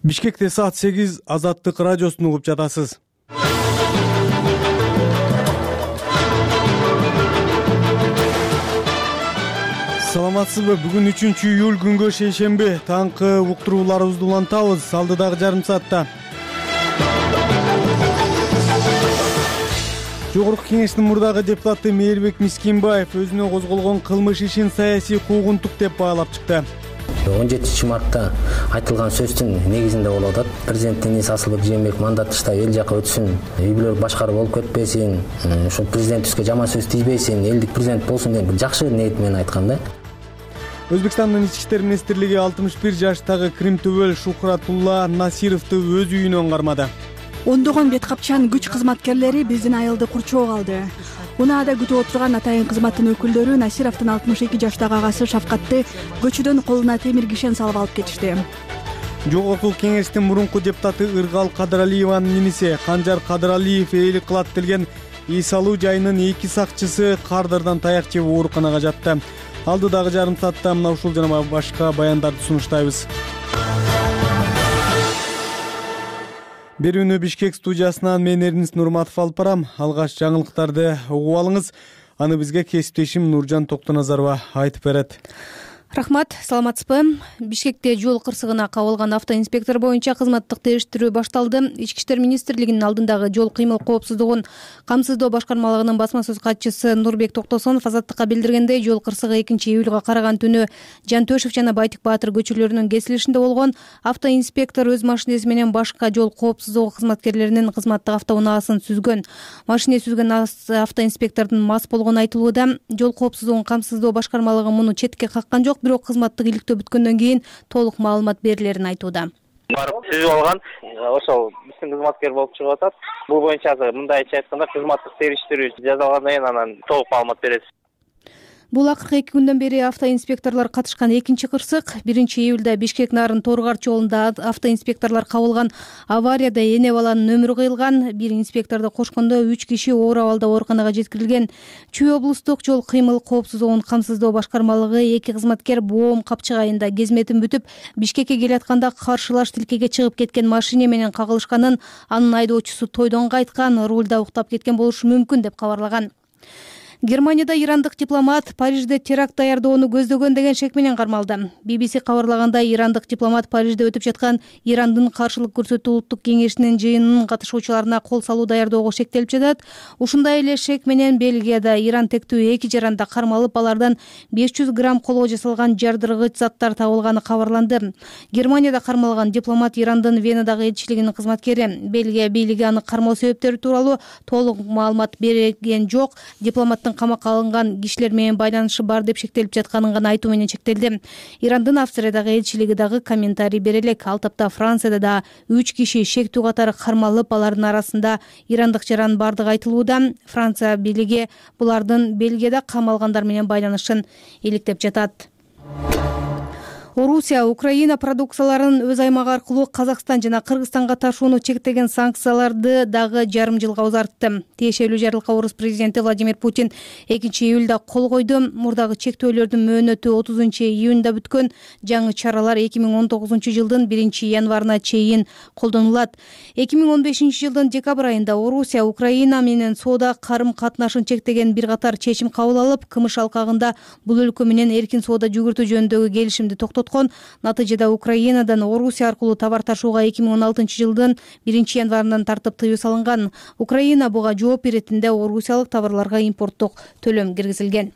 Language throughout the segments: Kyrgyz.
Бишкекте саат 8 Азаттык радиосун угуп жатасыз. Саламатсызбы? Бүгүн 3-июль күнгө шейшемби. Таңкы уктурууларыбызды улантабыз. Алдыдагы жарым саатта Жогорку Кеңештин мурдагы депутаты Мээрбек Мискинбаев өзүнө козголгон кылмыш ишин саясий куугунтук деп баалап чыкты. 17 мартта айтылган сөздүн негизинде болуп атат. Президенттин ээси Асылбек Жээнбеков мандат тыштап эл жака өтсүн, үй-бүлө башкаруу болуп кетпесин, ушул президентибизге жаман сөз тийбесин, элдик президент болсун деп жакшы ниет менен айткан да. Өзбекстандын Ички иштер министрлиги 61 жаштагы Кримтөбөл Шухратулла Насировду өз үйүнөн кармады. Ондогон беткапчан күч кызматкерлери биздин айылды курчоого алды. Унаада күтүп отурган атайын кызматтын өкүлдөрү Насировдун 62 жаштагы агасы Шафкатты көчөдөн колуна темир кишен салып алып кетишти. Жогорку Кеңештин мурунку депутаты Ыргал Кадыралиеванын немиси Канжар Кадыралиев ээлик кылат делген үй салуу жайынын 2 сакчысы кардырдан таяк жеп ооруканага жатты. Алдыдагы жарым саатта мына ушул жана башка баяндарды сунуштайбыз. Берүүнү Бишкек студиясынан мен Эрнис Нурматов алып барам. Алгач жаңылыктарды угуп алыңыз. Аны бизге кесиптешим Нуржан Токтоназарова айтып берет. Рахмат, саламатсызбы? Бишкекте жол кырсыгына кабылган автоинспектор боюнча кызматтык териштирүү башталды. Ички иштер министрлигинин алдындагы жол кыймыл коопсуздугун камсыздоо башкармалыгынын басма сөз катчысы Нурбек Токтосонов Азаттыкка билдиргендей, жол кырсыгы 2-июлга караган түнү Жантөшев жана Байтик Баатыр көчөлөрүнүн кесилишинде болгон. Автоинспектор өз машинеси менен башка жол коопсуздугу кызматкерлеринин кызматтык автоунаасын сүзгөн. Машине сүзгөн автоинспектордун мас болгону айтылууда. Жол коопсуздугун камсыздоо башкармалыгы муну четке каккан жок, бирок кызматтык иликтөө бүткөндөн кийин толук маалымат берилерин айтууда. Барып сүзүп алган, ошол биздин кызматкер болуп чыгып атат. Бул боюнча мындайча айтканда кызматтык териштирүү жасалгандан кийин анан толук маалымат беребиз. Бул акыркы 2 күндөн бери автоинспекторлор катышкан 2-чи кырсык. 1-июлда Бишкек Нарын Торгарч жолунда автоинспекторлор кабылган аварияда эне баланын өмүрү кыйылган. Бир инспекторду кошкондо 3 киши оор абалда ооруканага жеткирилген. Чүй облустук жол кыймыл коопсуздугун камсыздоо башкармалыгы 2 кызматкер Боом Капчык айында кезметин бүтүп, Бишкекке келатканда каршылаш тилкеге чыгып кеткен машине менен кагылышканын, анын айдоочусу тойдон кайткан, рулда уктап кеткен болушу мүмкүн деп кабарлаган. Германияда ирандык дипломат Парижде теракт даярдоону көздөгөн деген шек менен кармалды. BBC кабарлагандай, ирандык дипломат Парижде өтүп жаткан Ирандын каршылык көрсөтүү улуттук кеңешинин жыйынынын катышуучуларына кол салуу даярдоого шектелип жатат. Ушундай эле шек менен Бельгияда Иран тектүү 2 жаранда кармалып, алардан 500 грамм колго жасалган жардыргыч заттар табылганы кабарланды. Германияда кармалган дипломат Ирандын Венадагы элчилигинин кызматкери. Бельгия бийлиги аны кармоо себептери тууралуу толук маалымат берген жок. Дипломаттын камакка алынган кишилер менен байланышы бар деп шектелип жатканын гана айтуу менен чектелди. Ирандын Австриядагы элчилиги дагы комментарий бере элек. Ал тапта Францияда да 3 киши шектүү катары кармалып, алардын арасында ирандык жаран бардыгы айтылууда. Франция бийлиги булардын Бельгияда камалгандар менен байланышын иликтеп жатат. Орусия Украина продукцияларын өз аймагы аркылуу Казакстан жана Кыргызстанга ташууну чектеген санкцияларды дагы жарым жылга узартты. Тиешелүү жарлыкка орус президенти Владимир Путин 2-июлда кол койду. Мурдагы чектөөлөрдүн мөөнөтү 30-июнда бүткөн. Жаңы чаралар 2019-жылдын 1-январына чейин колдонулат. 2015-жылдын декабрь айында Орусия Украина менен соода карым-катнашын чектеген бир катар чечим кабыл алып, кымыш алкагында бул өлкө менен эркин соода жүгүртүү жөнүндөгү келишимди токтоткон. Натыйжада Украинадан Орусия аркылуу товар ташууга 2016-жылдын 1-январынан тартып тыюу салынган. Украина буга жооп иретинде орусиялык товарларга импорттук төлөм киргизилген.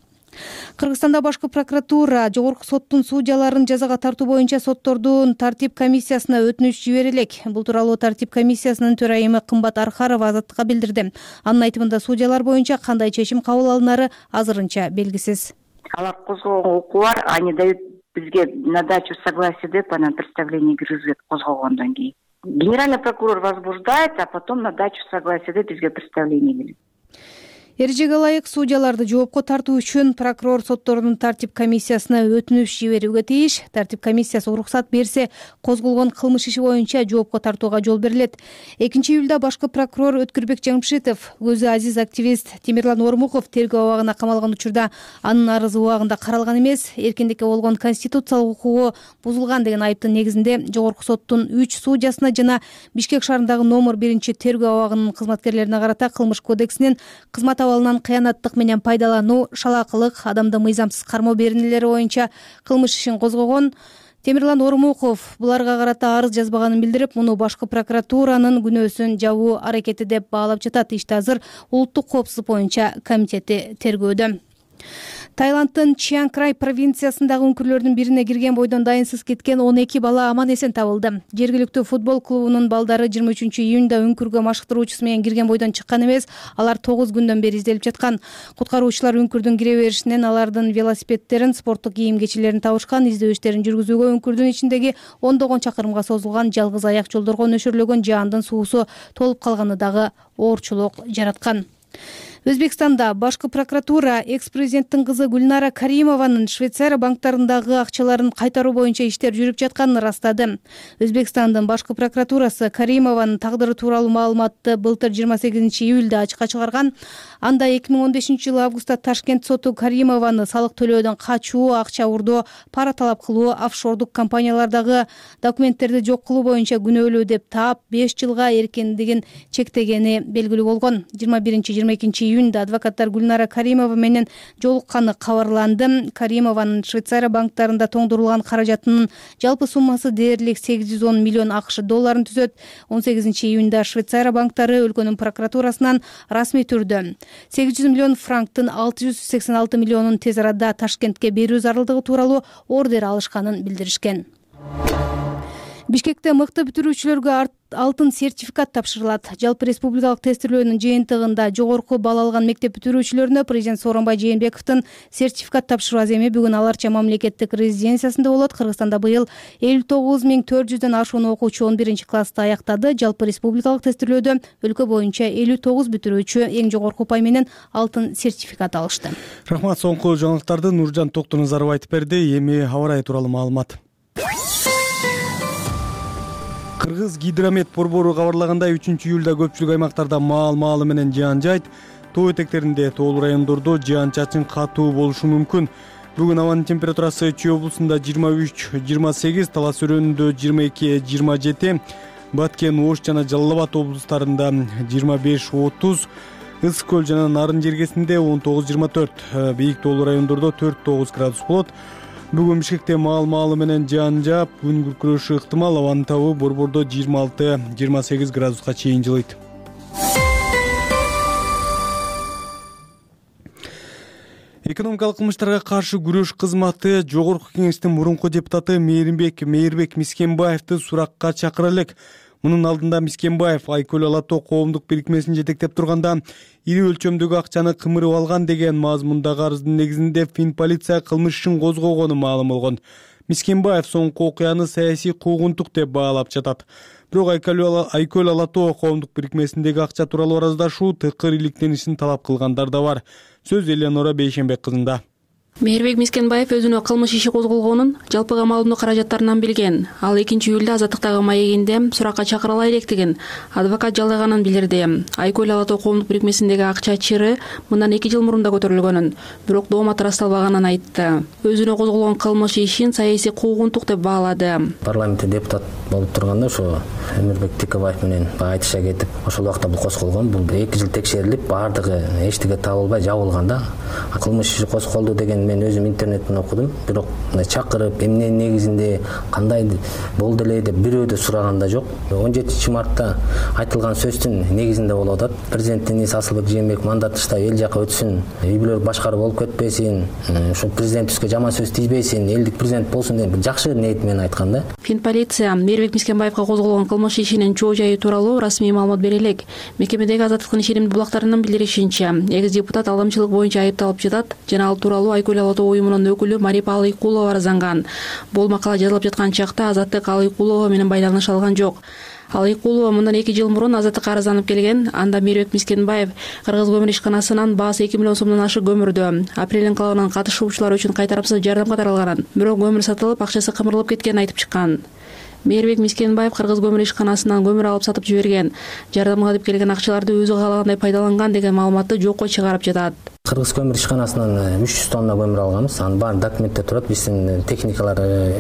Кыргызстанда башкы прокуратура жогорку соттун судьяларын жазага тартуу боюнча соттордун тартип комиссиясына өтүнүч жибере элек. Бул тууралуу тартип комиссиясынын төрайымы Кымбат Архарова Азаттыкка билдирди. Анын айтымында судьялар боюнча кандай чечим кабыл алынары азырынча белгисиз. Алар козгогон укугу бар, они дают бизге на дачу согласия деп анан представление киргизет козгогондон кийин. Генеральный прокурор возбуждает, а потом на дачу согласия деп бизге представление келет. Эрежеге ылайык судьяларды жоопко тартуу үчүн прокурор соттордун тартип комиссиясына өтүнүч жиберүүгө тийиш. Тартип комиссиясы уруксат берсе, козголгон кылмыш иши боюнча жоопко тартууга жол берилет. 2-июлда башкы прокурор Өткүрбек Жамшитов көзү азиз активист Темирлан Ормуков тергөө абагына камалган учурда анын арызы убагында каралган эмес, эркиндикке болгон конституциялык укугу бузулган деген айыптын негизинде Жогорку соттун 3 судьясына жана Бишкек шаарындагы номер 1 тергөө абагынын кызматкерлерине карата кылмыш кодексинин кызмат абалынан кыянаттык менен пайдалануу, шалаакылык, адамды мыйзамсыз кармоо беренелери боюнча кылмыш ишин козгогон. Темирлан Ормуков буларга карата арыз жазбаганын билдирип, муну башкы прокуратуранын күнөөсүн жабуу аракети деп баалап жатат. Ишти азыр улуттук коопсуздук боюнча комитети тергөөдө. Таиланддын Чиан Край провинциясындагы үңкүрлөрдүн бирине кирген бойдон дайынсыз кеткен 12 бала аман эсен табылды. Жергиликтүү футбол клубунун балдары 23-июнда үңкүргө машыктыруучусу менен кирген бойдон чыккан эмес, алар 9 күндөн бери изделип жаткан. Куткаруучулар үңкүрдүн кире беришинен алардын велосипедтерин, спорттук кийим-кечилерин табышкан. Издөө иштерин жүргүзүүгө үңкүрдүн ичиндеги ондогон чакырымга созулган жалгыз аяк жолдорго нөшөрлөгөн жаандын суусу толуп калганы дагы оорчулук жараткан. Өзбекстанда башкы прокуратура экс-президенттин кызы Гүлнара Каримованын Швейцария банктарындагы акчаларын кайтаруу боюнча иштер жүрүп жатканын ырастады. Өзбекстандын башкы прокуратурасы Каримованын тагдыры тууралуу маалыматты былтыр 28-июлда ачыкка чыгарган. Анда 2015-жылы августта Ташкент соту Каримованы салык төлөөдөн качуу, акча урдоо, пара талап кылуу, офшордук компаниялардагы документтерди жок кылуу боюнча күнөөлүү деп таап 5 жылга эркиндигин чектегени белгилүү болгон. 21-22-июнда адвокаттар Гүлнара Каримова менен жолукканы кабарланды. Каримованын Швейцария банктарында тоңдурулган каражатынын жалпы суммасы дээрлик 810 миллион АКШ долларын түзөт. 18-июнда Швейцария банктары өлкөнүн прокуратурасынан расмий түрдө 800 миллион франктын 686 миллионун тез арада Ташкентке берүү зарылдыгы тууралуу ордер алышканын билдиришкен. Бишкекте мыкты бүтүрүүчүлөргө алтын сертификат тапшырылат. Жалпы республикалык тестирлөөнүн жыйынтыгында жогорку балл алган мектеп бүтүрүүчүлөрүнө президент Сооронбай Жээнбековдун сертификат тапшыруу аземи бүгүн Аларча мамлекеттик резиденциясында болот. Кыргызстанда быйыл 59.400дөн ашуун окуучу 11-классты аяктады. Жалпы республикалык тестирлөөдө өлкө боюнча 59 бүтүрүүчү эң жогорку упай менен алтын сертификат алышты. Рахмат, соңку жаңылыктарды Нуржан Токтоназаров айтып берди. Эми аба ырайы тууралуу маалымат. Кыргыз гидромет борбору кабарлагандай 3-июлда көпчүлүк аймактарда маал-маалы менен жаан жайт, тоо этектеринде, тоолуу райондордо жаан-чачын катуу болушу мүмкүн. Бүгүн абанын температурасы Чүй облусунда 23-28, Талас өрөөнүндө 22-27, Баткен, Ош жана Жалал Абад облустарында 25-30, Ысык көл жана Нарын жергесинде 19-24, бийик тоолуу райондордо 4-9 градус болот. Бүгүн Бишкекте маал-маалы менен жаан жаап, күн күркүрөшү ыктымал, абанын табы борбордо 26-28 градуска чейин жылыйт. Экономикалык кылмыштарга каршы күрөш кызматы Жогорку Кеңештин мурунку депутаты Мээрбек Мискенбаевди суракка чакыра элек. Мунун алдында Мискенбаев Айкөл Алатоо коомдук бирикмесин жетектеп турганда ири өлчөмдөгү акчаны кымырып алган деген мазмундагы арыздын негизинде Финполиция кылмыш ишин козгогону маалым болгон. Мискенбаев соңку окуяны саясий куугунтук деп баалап жатат. Бирок Айкөл Алатоо коомдук бирикмесиндеги акча тууралуу араздашуу тыкыр иликтенишин талап кылгандар да бар. Сөз Элеонора Бейшенбек кызында. Мээрбек Мискенбаев өзүнө кылмыш иши козголгонун жалпыга маалымдоо каражаттарынан билген. Ал 2-июлда азаттыктагы маегинде суракка чакырыла электигин адвокат жалгаганын билдирди. Айкөл Алатоо коомдук бирикмесиндеги акча чыры мындан 2 жыл мурун да көтөрүлгөнүн, бирок доомат ырасталбаганын айтты. Өзүнө козголгон кылмыш ишин саясий куугунтук деп баалады. Парламентте депутат болуп турганда ошо Эмирбек Тикебаев менен айтыша кетип, ошол убакта бул козголгон. Бул 2 жыл текшерилип, баардыгы эчтеке табылбай жабылган да. Кылмыш иши козголду деген мен өзүм интернеттен окудум, бирок чакырып эмне негизинде кандай болду эле деп бирөө да сураган да жок. 17-мартта айтылган сөздүн негизинде болуп атат. Президенттин ээси Асылбек Жээнбеков мандатышта эл жака өтсүн, үй бүлөлүк башкаруу болуп кетпесин, ошо президентибизге жаман сөз тийбесин, элдик президент болсун деп жакшы ниет менен айткан да. Финполиция Мээрбек Мискенбаевга козголгон кылмыш ишинин чоо жайы тууралуу расмий маалымат бере элек. Мекемедеги азаттыктын ишенимдүү булактарынын билдиришинче, экс депутат алдамчылык боюнча айыпталып жатат жана ал тууралуу Айкөл Ала Тоо уюмунун өкүлү Марипа Алыйкулова арызанган. Бул макала жазылып жаткан чакта Азаттык Алыйкулова менен байланыш алган жок. Алыйкулова мындан 2 жыл мурун Азаттыкка арызданып келген. Анда Мейирбек Мискенбаев Кыргыз көмүр ишканасынан баасы 2 миллион сомдон ашык көмүрдү апрель инкылабынын катышуучулары үчүн кайтарымсыз жардам катарылганын, бирок көмүр сатылып, акчасы кымырылып кеткенин айтып чыккан. Мейирбек Мискенбаев Кыргыз көмүр ишканасынан көмүр алып сатып жиберген, жардамга деп келген акчаларды өзү каалагандай пайдаланган деген маалыматты жокко чыгарып жатат. Кыргыз көмүр ишканасынан 300 тонна көмүр алганбыз. Анын баары документте турат. Биздин техникалар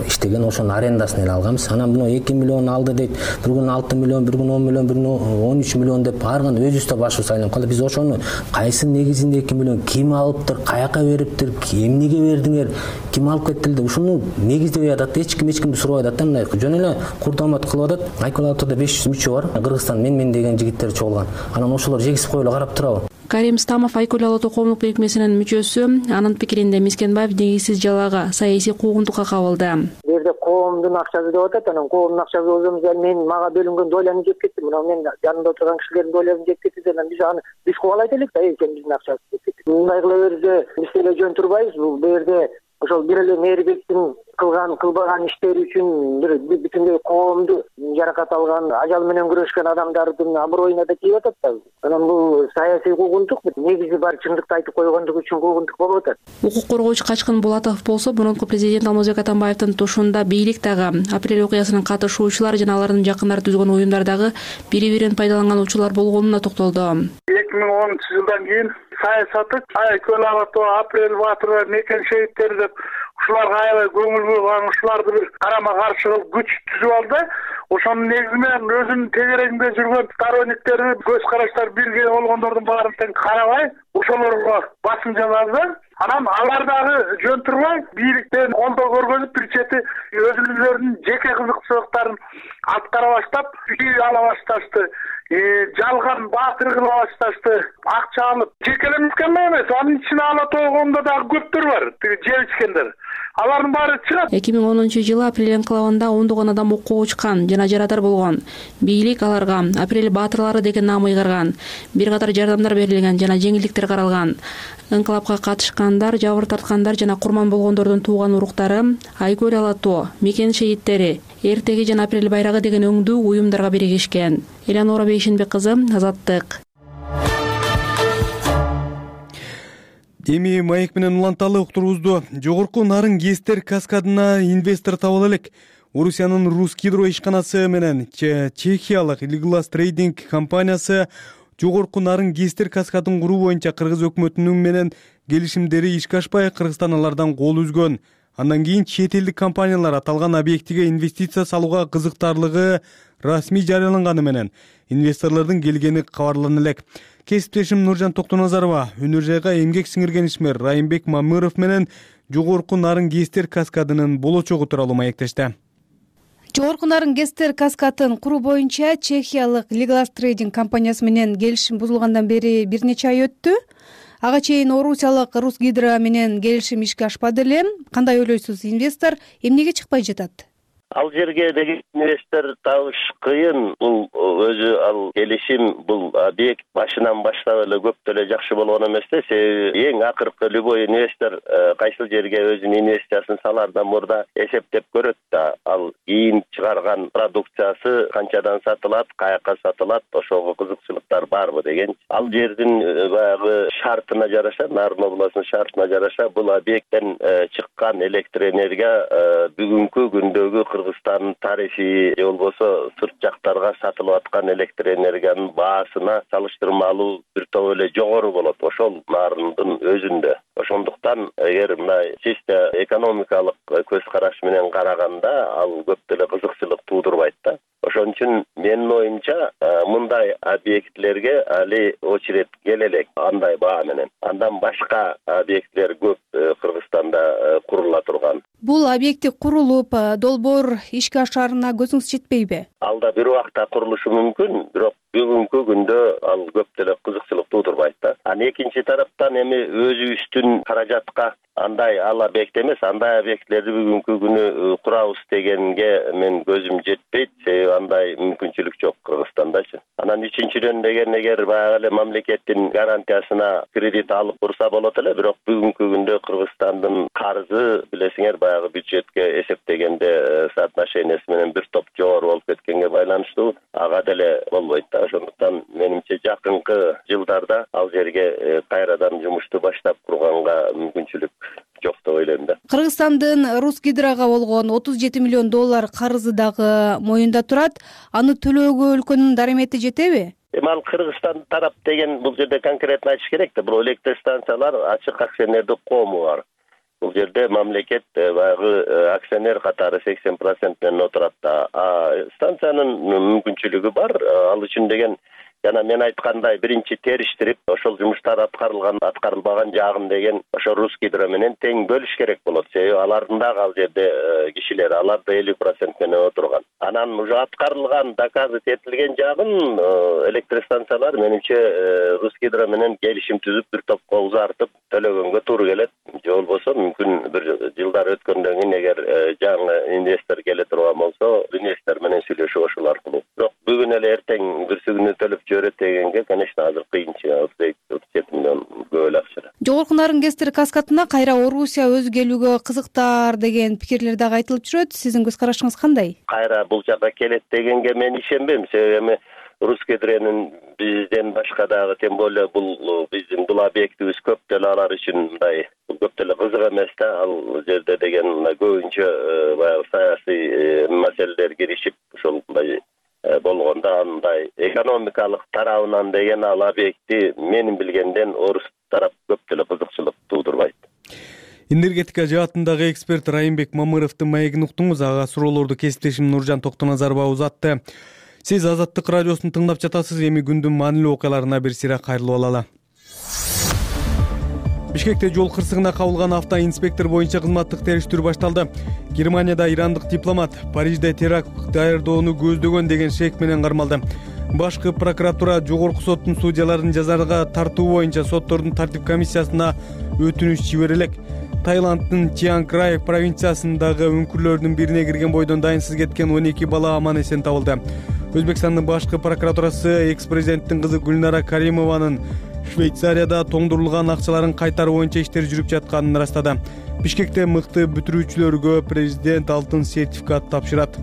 иштеген, ошонун арендасын эле алганбыз. Анан буну 2 миллион алды дейт. Bir gün 6 milyon, bir gün 10 milyon, bir gün 13 milyon деп барган өзүбүз да башыбыз айланып калды. Биз ошону кайсы негизинде 2 миллион ким алыптыр, каяка бериптир, эмнеге бердиңер, ким алып кетти деп ушуну негиздебей атат. Эч кимди сурабай атат да, мындай жөн эле курдамат кылып атат. Айкөл Ала Тоодо 500 мүчө бар. Кыргызстан мен деген жигиттер чогулган. Анан ошолор жегип коюла карап турабы? Карим Стамов Айкөл Ала Тоо коомдук бирикмесинин мүчөсү. Анын пикиринде Мискенбаев негизсиз жалага, саясий куугунтукка кабылды. Бу жерде коомдун акчасы деп атат, анан коомдун акчасы болсо мен мага бөлүнгөн доляны жеп кетти. Мына мен жанымда отурган кишилердин долясын жеп кетти. Анан биз кубалайт элек да, экен биздин акчабыз жеп кетти. Мындай кыла берсе биз эле жөн турбайбыз. Бул жерде ошол бир эле Мейирбектин кылбаган иштери үчүн бүтүндөй коомду жаракат алган, ажал менен күрөшкөн адамдардын аброюна да тийип атат да. Анан бул саясий куугунтук, негизи бар чындыкты айтып койгондук үчүн куугунтук болуп атат. Укук коргоочу Качкын Булатов болсо, мурунку президент Алмазбек Атамбаевдин тушунда бийлик дагы, апрель окуясынын катышуучулары жана алардын жакындары түзгөн уюмдардагы бири-бирин пайдаланган учурлар болгонуна токтолду. 2010-жылдан кийин саясаты Айкөл Ала Тоо, апрель батырлар, мекен шейиттери деп ушуларга аябай көңүл бурган, ушуларды бир карама каршы кылып күч түзүп алды. Ошонун негизи менен өзүнүн тегерегинде жүргөн сторонниктери, көз караштар бирге болгондордун баарын тең карабай, ошолорго басым жасады. Анан алар дагы жөн турбай, бийликтен колдоо көргөнүп, бир чети өзүлөрүнүн жеке кызыкчылыктарын аткара баштап, үй ала башташты. Жалган баатыр кыла башташты. Акча алып, жекелемескен эмес, анын ичине Ала Тоо коомунда дагы көптөр бар, жеп ичкендер. Алардын баары чыгат. 2010-жылы апрель инкылабында ондогон адам окууга учкан жана жарадар болгон. Бийлик аларга апрель баатырлары деген наам ыйгарган. Бир катар жардамдар берилген жана жеңилдиктер каралган. Инкылапка катышкандар, жабыр тарткандар жана курман болгондордун тууган уруктары, Айкөл Ала Тоо, мекен шейиттери, эртеги жана апрель байрагы деген өңдүү уюмдарга биригишкен. Элеонора Бейшенбек кызы, Азаттык. Эми маек менен уланталы уктурубузду. Жогорку нарын ГЭСтер каскадына инвестор табыла элек. Орусиянын Русгидро ишканасы менен чехиялык Liglas Trading компаниясы жогорку нарын ГЭСтер каскадын куруу боюнча кыргыз өкмөтүнүн менен келишимдери ишке ашпай, Кыргызстан алардан кол үзгөн. Андан кийин чет элдик компаниялар аталган объектиге инвестиция салууга кызыктарлыгы расмий жарыяланганы менен инвесторлордун келгени кабарлана элек. Кесиптешим Нуржан Токтоназарова өнөр жайга эмгек сиңирген ишмер Райымбек Мамыров менен жогорку нарын ГЭСтер каскадынын болочогу тууралуу маектешти. Жогорку нарын ГЭСтер каскадын куруу боюнча чехиялык Liglas Trading компаниясы менен келишим бузулгандан бери бир нече ай өттү. Ага чейин орусиялык Русгидро менен келишим ишке ашпады эле. Кандай ойлойсуз, инвестор эмнеге чыкпай жатат? Ал жерге деген инвестор табыш кыйын. Бул өзү ал келишим, бул объект башынан баштап эле көп эле жакшы болгон эмес да. Себеби эң акыркы любой инвестор кайсыл жерге өзүнүн инвестициясын салаардан мурда эсептеп көрөт да. Ал кийин чыгарган продукциясы канчадан сатылат, каяка сатылат, ошого кызыкчылыктар барбы деген. Ал жердин баягы шартына жараша, Нарын областынын шартына жараша бул объекттен чыккан электр энергия бүгүнкү күндөгү Кыргызстандын тарихи же болбосо сырт жактарга сатылып аткан электр энергиянын баасына салыштырмалуу бир топ эле жогору болот ошол нарындын өзүндө. Ошондуктан эгер мындай чисто экономикалык көз караш менен караганда ал көп деле кызыкчылык туудурбайт да. Ошон үчүн менин оюмча мындай объектлерге али очередь келе элек андай баа менен. Андан башка объекттер көп Кыргызстанда курула турган. Бул объекти курулуп, долбоор ишке ашаарына көзүңүз жетпейби? Алда бир убакта курулушу мүмкүн, бирок бүгүнкү күндө ал көп деле кызыкчылык туудурбайт да. Анан экинчи тараптан эми өзүбүздүн каражатка андай ал объект эмес, андай объекттерди бүгүнкү күнү курабыз дегенге мен көзүм жетпейт. Себеби андай мүмкүнчүлүк жок Кыргызстандачы. Анан Анан үчүнчүдөн деген эгер баягы эле мамлекеттин гарантиясына кредит алып турса болот эле, бирок бүгүнкү күндө Кыргызстандын карызы билесиңер баягы бюджетке эсептегенде соотношениясы менен бир топ жогору болуп кеткенге байланыштуу ага деле болбойт да. Ошондуктан менимче жакынкы жылдарда ал жерге кайрадан жумушту баштап курганга мүмкүнчүлүк жок деп ойлойм да. Кыргызстандын Русгидрого болгон 37 миллион доллар карызы дагы моюнда турат. Аны төлөөгө өлкөнүн дарамети жетеби? Ал Кыргызстан тарап деген бул жерде конкретно айтыш керек да. Бул электростанциялар ачык акционердик коому бар. Бул жерде мамлекет баягы акционер катары 80% менен отурат да. Станциянын мүмкүнчүлүгү бар. Ал үчүн деген жана мен айткандай биринчи териштирип, ошол жумуштар аткарылбаган жагын деген ошо Русгидро менен тең бөлүш керек болот. Себеби алардын дагы ал жерде кишилер, алар да 50% менен отурган. Анан уже аткарылган, доказы этилген жагын электростанциялар менимче Русгидро менен келишим түзүп, бир топко узартып төлөгөнгө туура келет. Же болбосо мүмкүн бир жылдар өткөндөн кийин эгер жаңы инвестор келе турган болсо, инвестор менен сүйлөшүп ошол аркылуу. Бирок бүгүн эле эртең бүрсүгүнү төлөп жиберет дегенге, конечно, азыр кыйынчылык. 37 миллион көп эле акча. Жогорку Нарынгестер каскадына кайра Орусия өзү келүүгө кызыктар деген пикирлер дагы айтылып жүрөт. Сиздин көз карашыңыз кандай? Кайра бул жака келет дегенге мен ишенбейм. Себеби Русгидронун бизден башка дагы, тем более бул биздин бул объектибиз көп деле алар үчүн мындай көп деле кызык эмес да. Ал жерде деген көбүнчө баягы саясий маселелер киришип, ошол мындай болгондо андай экономикалык тарабынан деген ал объекти менин билгенден орус тарап көп деле кызыкчылык туудурбайт. Энергетика жаатындагы эксперт Райымбек Мамыровдун маегин уктуңуз. Ага суроолорду кесиптешим Нуржан Токтоназарова узатты. Сиз Азаттык радиосун тыңдап жатасыз. Эми күндүн маанилүү окуяларына бир сыйра кайрылып алалы. Бишкекте жол кырсыгына кабылган автоинспектор боюнча кызматтык териштирүү башталды. Германияда ирандык дипломат Парижде теракт даярдоону көздөгөн деген шек менен кармалды. Башкы прокуратура жогорку соттун судьяларын жазага тартуу боюнча соттордун тартип комиссиясына өтүнүч жиберелек. Таиланддын Чианг Рай провинциясындагы үңкүрлөрдүн бирине кирген бойдон дайынсыз кеткен 12 бала аман эсен табылды. Өзбекстандын башкы прокуратурасы экс-президенттин кызы Гүлнара Каримованын Швейцарияда тоңдурулган акчаларын кайтаруу боюнча иштер жүрүп жатканын ырастады. Бишкекте мыкты бүтүрүүчүлөргө президент алтын сертификат тапшырат.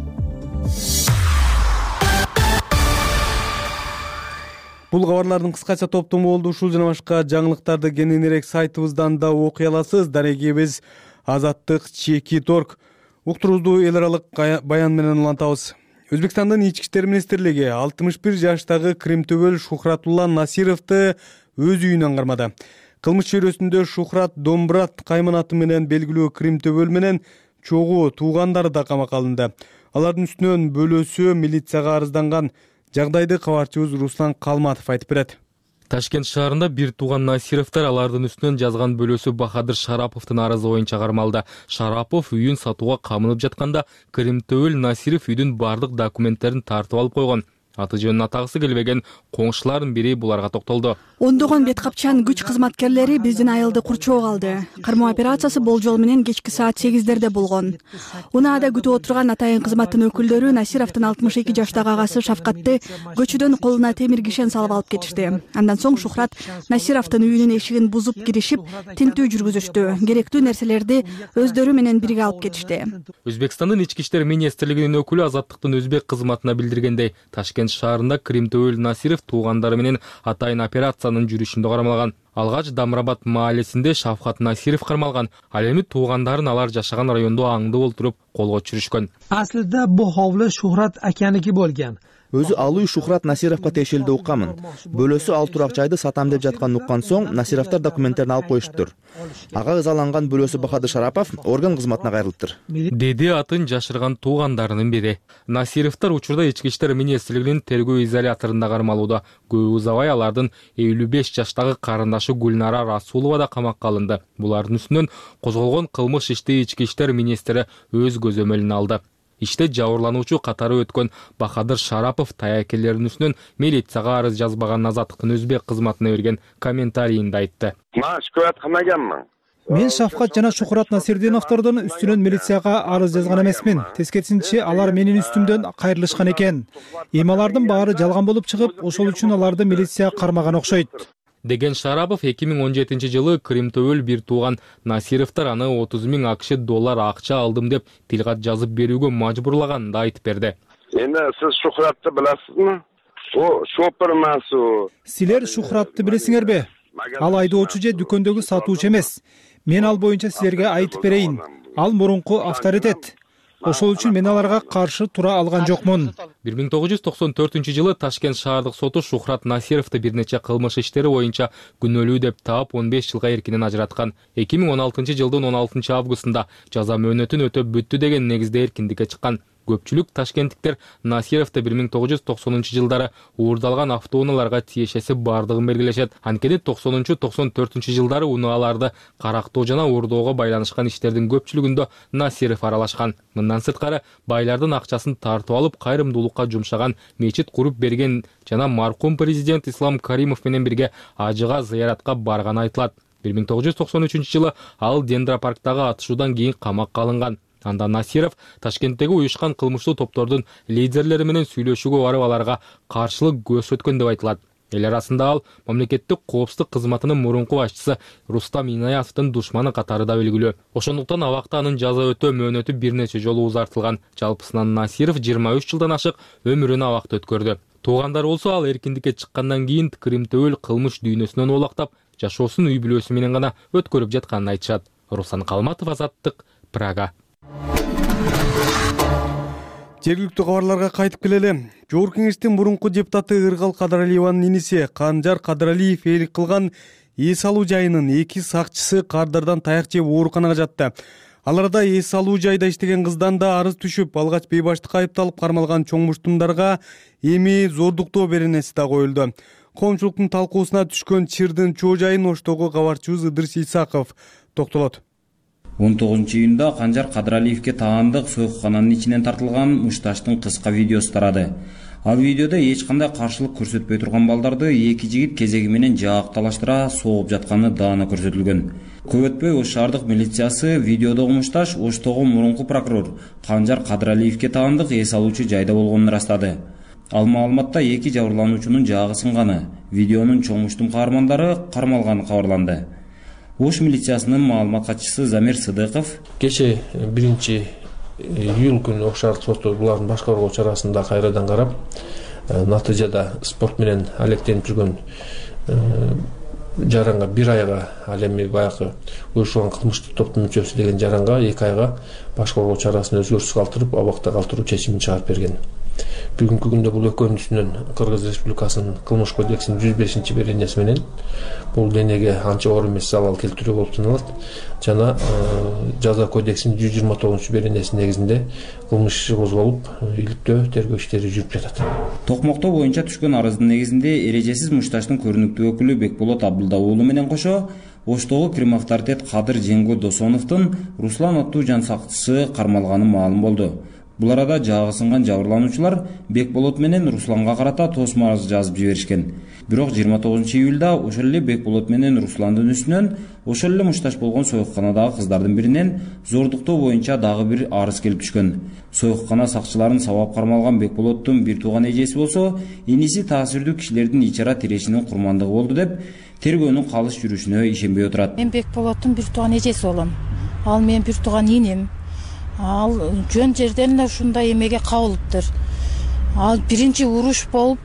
Бул кабарлардын кыскача топтому болду. Ушул жана башка жаңылыктарды кененирээк сайтыбыздан да окуй аласыз. Дарегибиз azаттык.org. Уктуруубузду эл аралык баян менен улантабыз. Өзбекстандын ички иштер министрлиги 61 жаштагы Кримтөбөл Шухратулла Насировду өз үйүнөн кармады. Кылмыш чөйрөсүндө Шухрат Домбрат кайманаты менен белгилүү Кримтөбөл менен чогуу туугандары да камакка алынды. Алардын үстүнөн бөлөөсү милицияга арызданган. Жагдайды кабарчыбыз Руслан Калматов айтып берет. Ташкент шаарында бир тууган Насировдор алардын үстүнөн жазган бөлөөсү Бахадыр Шараповдун арызы боюнча кармалды. Шарапов үйүн сатууга камынып жатканда Кримтөбөл Насиров үйдүн бардык документтерин тартып алып койгон. Аты жөнүн атагысы келбеген коңшулардын бири буларга токтолду. Ондогон бет капчан күч кызматкерлери биздин айылды курчоого алды. Кармоо операциясы болжол менен кечки саат 8-дерде болгон. Унаада күтүп отурган атайын кызматтын өкүлдөрү Насировдун 62 жаштагы агасы Шафкатты көчөдөн колуна темир кишен салып алып кетишти. Андан соң Шухрат Насировдун үйүнүн эшигин бузуп киришип, тинтүү жүргүзүштү. Керектүү нерселерди өздөрү менен бирге алып кетишти. Өзбекстандын ички иштер министрлигинин өкүлү Азаттыктын өзбек кызматына билдиргендей, Ташкент шаарында Кримтөбөл Насиров туугандары менен атайын операциянын жүрүшүндө кармалган. Алгач Дамрабад маалесинде Шафкат Насиров кармалган. Ал эми туугандарын алар жашаган райондо аңдып олтуруп колго түшүрүшкөн. Aslida bu hovli Shuhrat akaniki bo'lgan. Өзү ал үй Шухрат Насировго тиешелүү укканмын. Бөлөөсү ал турак жайды сатам деп жатканын уккан соң Насировдор документтерин алып коюштур. Ага ызаланган бөлөөсү Бахадыр Шарапов орган кызматына кайрылыптыр. Деди атын жашырган туугандарынын бири. Насировдор учурда ички иштер министрлигинин тергөө изоляторунда кармалууда. Көп узабай алардын 55 жаштагы карындашы Гүлнара Расулова да камакка алынды. Булардын үстүнөн козголгон кылмыш ишти ички иштер министри өз көзөмөлүнө алды. Иште жабырлануучу катары өткөн Бахадыр Шарапов таякелеринин үстүнөн милицияга арыз жазбаган Азаттыктын өзбек кызматына берген комментарийинде айтты. Мен шикоят кылмаганмын. Мен Шафкат жана Шухрат Насирдиновдордун үстүнөн милицияга арыз жазган эмесмин. Тескерисинче алар менин үстүмдөн кайрылышкан экен. Эми алардын баары жалган болуп чыгып, ошол үчүн аларды милиция кармаган окшойт, деген Шарапов 2017 жылы Кримтөбөл бир тууган Насировдор аны 30 000 АКШ доллар акча алдым деп тилкат жазып берүүгө мажбурлаганын да айтып берди. Эми сиз Шухратты билесизби? О шопер эмес у. Силер Шухратты билесиңерби? Ал айдоочу же дүкөндөгү сатуучу эмес. Мен ал боюнча силерге айтып берейин. Ал мурунку авторитет. Ошол үчүн мен аларга каршы тура алган жокмун. 1994 жылы Ташкент шаардык соту Шухрат Насировду бир нече кылмыш иштери боюнча күнөөлүү деп таап 15 жылга эркинен ажыраткан. 2016 жылдын 16 августунда жаза мөөнөтүн өтөп бүттү деген негизде эркиндикке чыккан. Көпчүлүк ташкенттиктер Насировду 1990 жылдары уурдалган автоунааларга тиешеси бардыгын белгилешет. Анткени 90-94 жылдары унааларды карактоо жана уурдоого байланышкан иштердин көпчүлүгүндө Насиров аралашкан. Мындан сырткары байлардын акчасын тартып алып кайрымдуулукка жумшаган, мечит куруп берген жана маркум президент Ислам Каримов менен бирге ажыга зыяратка барганы айтылат. 1993 жылы ал Дендропарктагы атышуудан кийин камакка алынган. Анда Насиров Ташкенттеги уюшкан кылмыштуу топтордун лидерлери менен сүйлөшүүгө барып аларга каршылык көрсөткөн деп айтылат. Эл арасында ал мамлекеттик коопсуздук кызматынын мурунку башчысы Рустам Инаятовдун душманы катары да белгилүү. Ошондуктан абакта анын жаза өтөө мөөнөтү бир нече жолу узартылган. Жалпысынан Насиров 23 жылдан ашык өмүрүн абакта өткөрдү. Туугандары болсо ал эркиндикке чыккандан кийин Кримтөбөл кылмыш дүйнөсүнөн улактап, жашоосун үй бүлөсү менен гана өткөрүп жатканын айтышат. Руслан Калматов, Азаттык, Прага. Жергиликтүү кабарларга кайтып келели. Жогорку Кеңештин мурунку депутаты Ыргал Кадралиеванын иниси Канжар Кадралиев ээлик кылган эс алуу жайынын 2 сакчысы кардардан таяк жеп ооруканага жатты. Аларда эс алуу жайда иштеген кыздан да арыз түшүп, алгач бейбаштыкка айыпталып кармалган чоң муштумдарга эми зордуктоо беренеси да коюлду. Коомчулуктун талкуусуна түшкөн чырдын чоо жайын Оштогу кабарчыбыз Ыдырыс Исаков токтолот. 19 июнда Канжар Кадралиевке таандык сойкукананын ичинен тартылган мушташтын кыска видеосу тарады. Ал видеодо эч кандай каршылык көрсөтпөй турган балдарды эки жигит кезеги менен жаакталаштыра согуп жатканы даана көрсөтүлгөн. Көп өтпөй Ош шаардык милициясы видеодогу мушташ Оштогу мурунку прокурор Канжар Кадралиевке таандык эс алуучу жайда болгонун ырастады. Ал маалыматта эки жабырлануучунун жаагы сынганы, видеонун чоң муштум каармандары кармалганы кабарланды. Ош милициясынын маалымат катчысы Замир Сыдыков кече 1-июль күнү Ош шаардык соту булардын башкаруу чарасында кайрадан карап, натыйжада спорт менен алектенип жүргөн жаранга 1 айга, ал эми баягы уюштурулган кылмыштык топтун мүчөсү деген жаранга 2 айга башкаруу чарасын өзгөртүш калтырып, абакта калтыруу чечимин чыгарып берген. Бүгүнкү күндө бул экөөнүн үстүнөн Кыргыз Республикасынын кылмыш кодексинин 105-беренеси менен бул денеге анча оор эмес залал келтирүү болуп саналат жана жаза кодексинин 129-беренеси негизинде кылмыш иши козголуп, иликтөө, тергөө иштери жүрүп жатат. Токмоктоо боюнча түшкөн арыздын негизинде эрежесиз мушташтын көрүнүктүү өкүлү Бекболот Абдылда уулу менен кошо Оштогу Крим авторитет Кадыр Жеңго Досоновдун Руслан аттуу жан сакчысы кармалганы маалым болду. Бул арада жаагы сынган жабырлануучулар Бекболот менен Русланга карата тосмо арыз жазып жиберишкен. Бирок 29 июлда ошол эле Бекболот менен Русландын үстүнөн ошол эле мушташ болгон сойкуканадагы кыздардын биринен зордуктоо боюнча дагы бир арыз келип түшкөн. Сойкукана сакчыларын сабап кармалган Бекболоттун бир тууган эжеси болсо, иниси таасирдүү кишилердин ичара тирешинин курмандыгы болду деп тергөөнүн калыс жүрүшүнө ишенбей отурат. Мен Бекболоттун бир тууган эжеси болом. Ал менин бир тууган иним. Ал жөн жерден эле ушундай эмеге кабылыптыр. Ал биринчи уруш болуп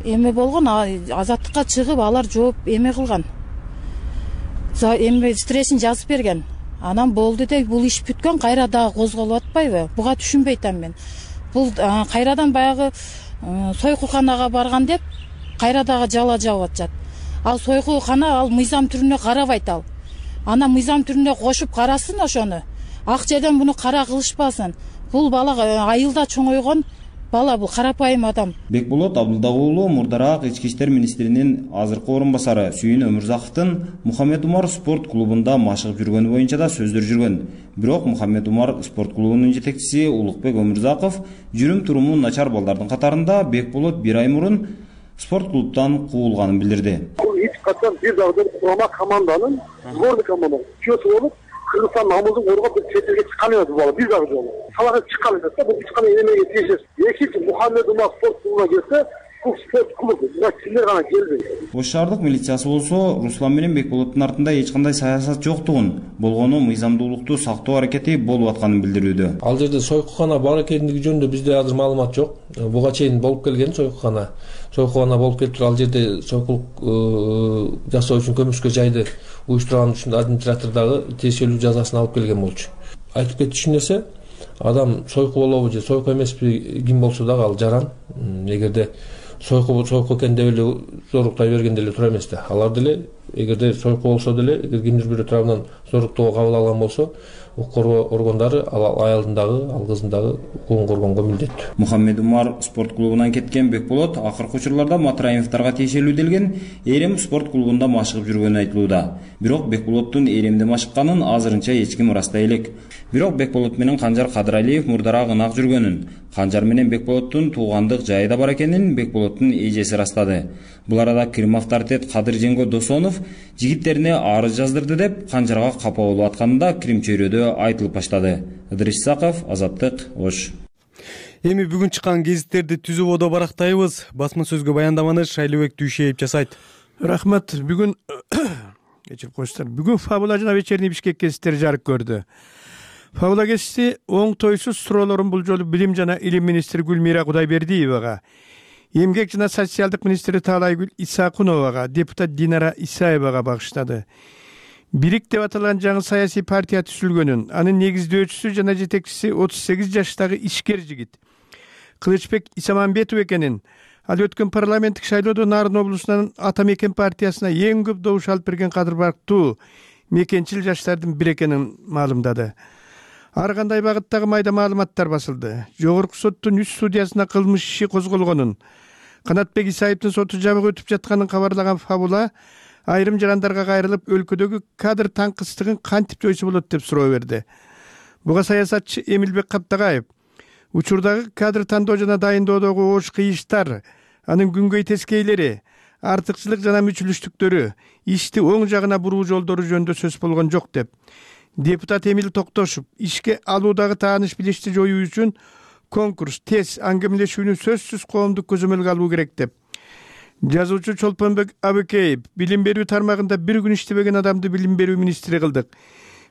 эме болгон, азаттыкка чыгып алар жооп эме кылган. Эме стрессин жазып берген. Анан болду деп бул иш бүткөн, кайра дагы козголуп атпайбы? Буга түшүнбөй атам мен. Бул кайрадан баягы сойкуканага барган деп кайра дагы жала жабып атышат. Ал сойкукана ал мыйзам түрүнө карабайт ал. Ана мыйзам түрүнө кошуп карасын ошону. Ак жерден буну кара кылышпасын. Бул бала айылда чоңойгон бала, бул карапайым адам. Бекболот Абдылда уулу мурдараак ички иштер министринин азыркы орун басары Сүйүн Өмүрзаковдун Мухаммед Умар спорт клубунда машыгып жүргөнү боюнча да сөздөр жүргөн. Бирок Мухаммед Умар спорт клубунун жетекчиси Улукбек Өмүрзаков жүрүм туруму начар балдардын катарында Бекболот 1 ай мурун спорт клубтан куулганын билдирди. эч качан бир дагы курама команданын сборный команда чемпиону болуп Кыргызстан намысын коргоп чет элге чыккан эмес бул бала бир дагы жолу. Салага чыккан эмес да, бул чыккан эмеге тийишет. Экинчи Мухаммед Умар спорт клубуна келсе, бул спорт клубу мына кимдер гана келбейт. Ош шаардык милициясы болсо Руслан менен Бекболоттун артында эч кандай саясат жоктугун, болгону мыйзамдуулукту сактоо аракети болуп атканын билдирүүдө. Ал жерде сойкукана бар экендиги жөнүндө бизде азыр маалымат жок. Буга чейин болуп келген сойкукана болуп келип туруп, ал жерде сойкулук жасоо үчүн көмүшкө жайды уюштурган үчүн администратордагы тиешелүү жазасын алып келген болчу. Айтып кетчү нерсе, адам сойку болобу же сойку эмеспи ким болсо дагы ал жаран. Эгерде сойку экен деп эле зорлуктай берген деле туура эмес да. Алар деле эгерде сойку болсо деле, эгер кимдир бирөө тарабынан зорлуктоого кабыл алган болсо, укук коргоо органдары ал аялдын дагы, ал кыздын дагы укугун коргонго милдеттүү. Мухаммед Умар спорт клубунан кеткен Бекболот акыркы учурларда Матраимовдорго тиешелүү делген Эрем спорт клубунда машыгып жүргөнү айтылууда. Бирок Бекболоттун Эремде машыкканын азырынча эч ким ырастай элек. Бирок Бекболот менен Канжар Кадыралиев мурдараак ынак жүргөнүн, Канжар менен Бекболоттун туугандык жайы да бар экенин Бекболоттун эжеси ырастады. Бул арада Крим авторитет Кадыр Женго Досонов жигиттерине арыз жаздырды деп Канжарга капа болуп атканында Крим чөйрөдө айтылып баштады. Ыдырыс Исаков, Азаттык, Ош. Эми бүгүн чыккан гезиттерди түзүүбөдө барактайбыз. Басма сөзгө баяндаманы Шайлыбек Дүйшеев жасайт. Рахмат. Бүгүн кечирип коюңуздар. Бүгүн Фабула жана Вечерний Бишкек гезиттери жарык көрдү. Фабула гезити оңтойсуз суроолорун бул жолу Билим жана Илим министри Гүлмира Кудайбердиевага, Эмгек жана социалдык министри Таалайгүл Исакуновага, депутат Динара Исаевага багыштады. Бирик деп аталган жаңы саясий партия түзүлгөнүн, анын негиздөөчүсү жана жетекчиси 38 жаштагы ишкер жигит Кылычбек Исаманбетов экенин, ал өткөн парламенттик шайлоодо Нарын облусунун Ата Мекен партиясына эң көп добуш алып берген кадыр барктуу мекенчил жаштардын бири экенин маалымдады. Ар кандай багыттагы майда маалыматтар басылды. Жогорку соттун 3 судьясына кылмыш иши козголгонун, Канатбек Исаевдин соту жабык өтүп жатканын кабарлаган Фабула айрым жарандарга кайрылып, өлкөдөгү кадр таңкыстыгын кантип жойсо болот деп суроо берди. Буга саясатчы Эмилбек Каптагаев учурдагы кадр тандоо жана дайындоодогу оош кыйыштар, анын күнгөй тескейлери, артыкчылык жана мүчүлүштүктөрү, ишти оң жагына буруу жолдору жөнүндө сөз болгон жок деп, депутат Эмил Токтошов ишке алуудагы тааныш билишти жоюу үчүн конкурс, тез аңгемелешүүнү сөзсүз коомдук көзөмөлгө алуу керек деп, жазуучу Чолпонбек Абыкеев билим берүү тармагында бир күн иштебеген адамды билим берүү министри кылдык,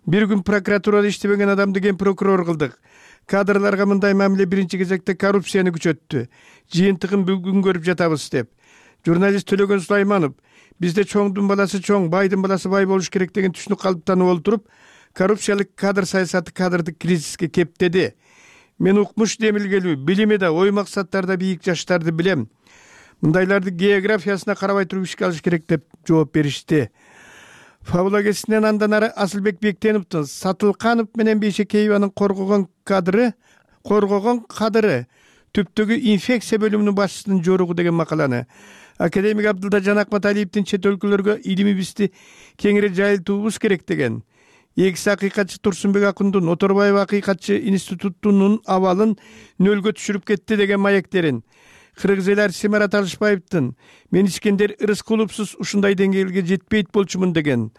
бир күн прокуратурада иштебеген адамды ген прокурор кылдык, кадрларга мындай мамиле биринчи кезекте коррупцияны күчөттү, жыйынтыгын бүгүн көрүп жатабыз деп, журналист Төлөгөн Сулайманов бизде чоңдун баласы чоң, байдын баласы бай болуш керек деген түшүнүк калыптанып олтуруп, коррупциялык кадр саясаты кадрдык кризиске кептеди. Мен укмуш демилгелүү, билими да, ой максаттарда бийик жаштарды билем. Мындайларды географиясына карабай туруп ишке алыш керек деп жооп беришти. Фабула гезитинен андан ары Асылбек Бектеновдун Сатылканов менен Бейшекееванын коргогон кадыры түптөгү инфекция бөлүмүнүн башчысынын жоругу деген макаланы, академик Абдылда Жанакматалиевдин чет өлкөлөргө илимибизди кеңири жайылтуубуз керек деген, экс акыйкатчы Турсунбек Акундун Оторбаев акыйкатчы институтунун абалын нөлгө түшүрүп кетти деген маектерин, кыргыз эл артисти Марат Алышбаевдин мен Искендер Рыскуловсуз ушундай деңгээлге жетпейт болчумун деген,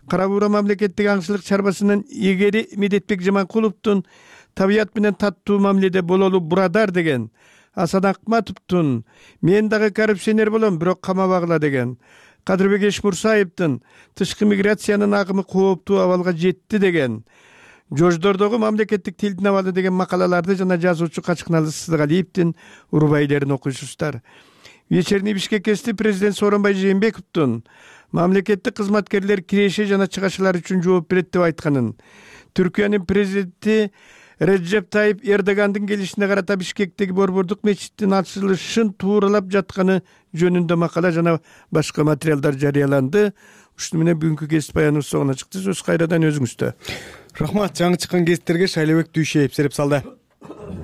Кара Буура мамлекеттик аңчылык чарбасынын эгери Медетбек Жаманкуловдун табият менен таттуу мамиледе бололу бурадар деген, Асан Акматовдун мен дагы коррупционер болом, бирок камабагыла деген, Кадырбек Эшмурсаевдин тышкы миграциянын агымы кооптуу абалга жетти деген, Жождордогу мамлекеттик тилдин абалы деген макалаларды жана жазуучу Качкыналы Сыздыгалиевдин урбайлерин окуйсуздар. Вечерний Бишкек гезити президент Сооронбай Жээнбековдун мамлекеттик кызматкерлер киреше жана чыгашылар үчүн жооп берет деп айтканын, Түркиянын президенти Реджеп Тайип Эрдогандын келишине карата Бишкектеги Борбордук мечиттин ачылышын тууралап жатканы жөнүндө макала жана башка материалдар жарыяланды. Ушуну менен бүгүнкү гезит баяныбыз соңуна чыкты. Сөз кайрадан өзүңүздө. Рахмат. Жаңы чыккан гезиттерге Шайлыбек Дүйшеев сереп салды.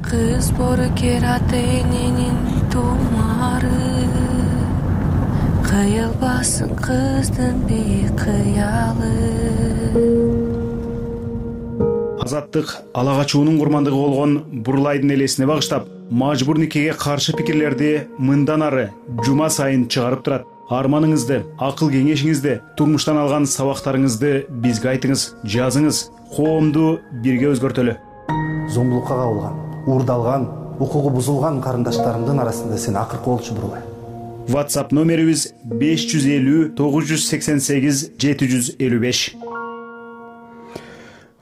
Кыз бору кератенинин тумары, кыйылбасын кыздын бейкыялы. Азаттык ала качуунун курмандыгы болгон Бурлайдын элесине багыштап, мажбур никеге каршы пикирлерди мындан ары жума сайын чыгарып турат. арманыңызды, акыл кеңешиңизди, турмуштан алган сабактарыңызды бизге айтыңыз, жазыңыз. Коомду бирге өзгөртөлү. Зомбулукка кабылган, уурдалган, укугу бузулган карындаштарымдын арасында сен акыркы болчу Бурулай. WhatsApp номерибиз 550 988 755.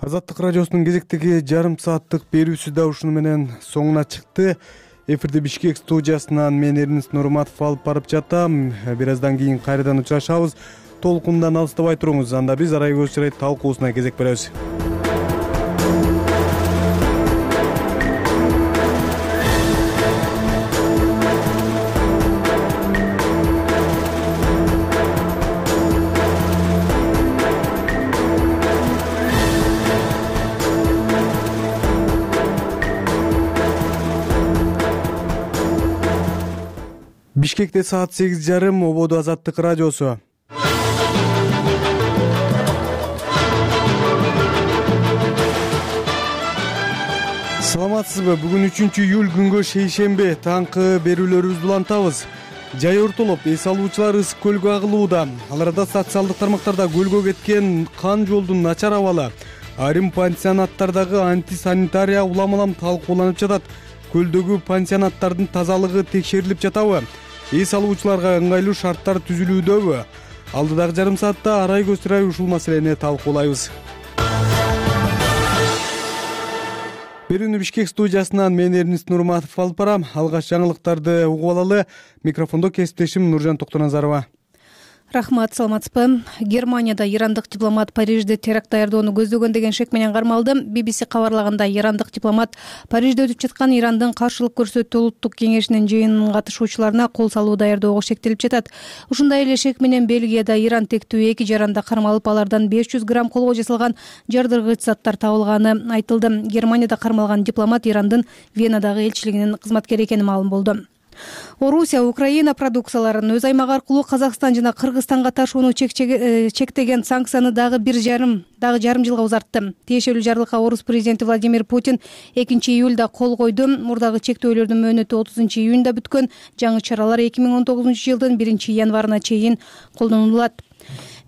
Азаттык радиосунун кезектеги жарым сааттык берүүсү да ушуну менен соңуна чыкты. Эфирде Бишкек студиясынан мен Эрнис Нурматов алып барып жатам. Бир аздан кийин кайрадан учурашабыз. Толкундан алыстабай туруңуз. Анда биз Арай көз чырай талкуусуна кезек беребиз. Бишкекте саат 8:30, Ободо Азаттык радиосу. Саламатсызбы? Бүгүн 3-июль күнгө шейшембе. Таңкы берүүлөрүбүздү улантабыз. Жай ортолоп эс алуучулар ысык көлгө агылууда. Аларда социалдык тармактарда көлгө кеткен кан жолдун начар абалы, айрым пансионаттардагы антисанитария улам-улам талкууланып жатат. Көлдөгү пансионаттардын тазалыгы текшерилип жатабы? Эс алуучуларга ыңгайлуу шарттар түзүлүүдөбү? Алдыдагы жарым саатта Арай көз чырай ушул маселени талкуулайбыз. Берүүнү Бишкек студиясынан мен Эрнис Нурматов алып барам. Алгач жаңылыктарды угуп алалы. Микрофондо кесиптешим Нуржан Токтоназарова. Рахмат, саламатсызбы? Германияда ирандык дипломат Парижде теракт даярдоону көздөгөн деген шек менен кармалды. BBC кабарлаганда ирандык дипломат Парижде өтүп жаткан Ирандын каршылык көрсөтүү улуттук кеңешинин жыйынынын катышуучуларына кол салуу даярдоого шектелип жатат. Ушундай эле шек менен Бельгияда Иран тектүү 2 жаранда кармалып, алардан 500 грамм колго жасалган жардыргыч заттар табылганы айтылды. Германияда кармалган дипломат Ирандын Венадагы элчилигинин кызматкери экени маалым болду. Орусия Украина продукцияларын өз аймагы аркылуу Казакстан жана Кыргызстанга ташууну чектеген санкцияны дагы жарым жылга узартты. Тиешелүү жарлыкка Орус президенти Владимир Путин 2-июлда кол койду. Мурдагы чектөөлөрдүн мөөнөтү 30-июнда бүткөн. Жаңы чаралар 2019-жылдын 1-январына чейин колдонулат.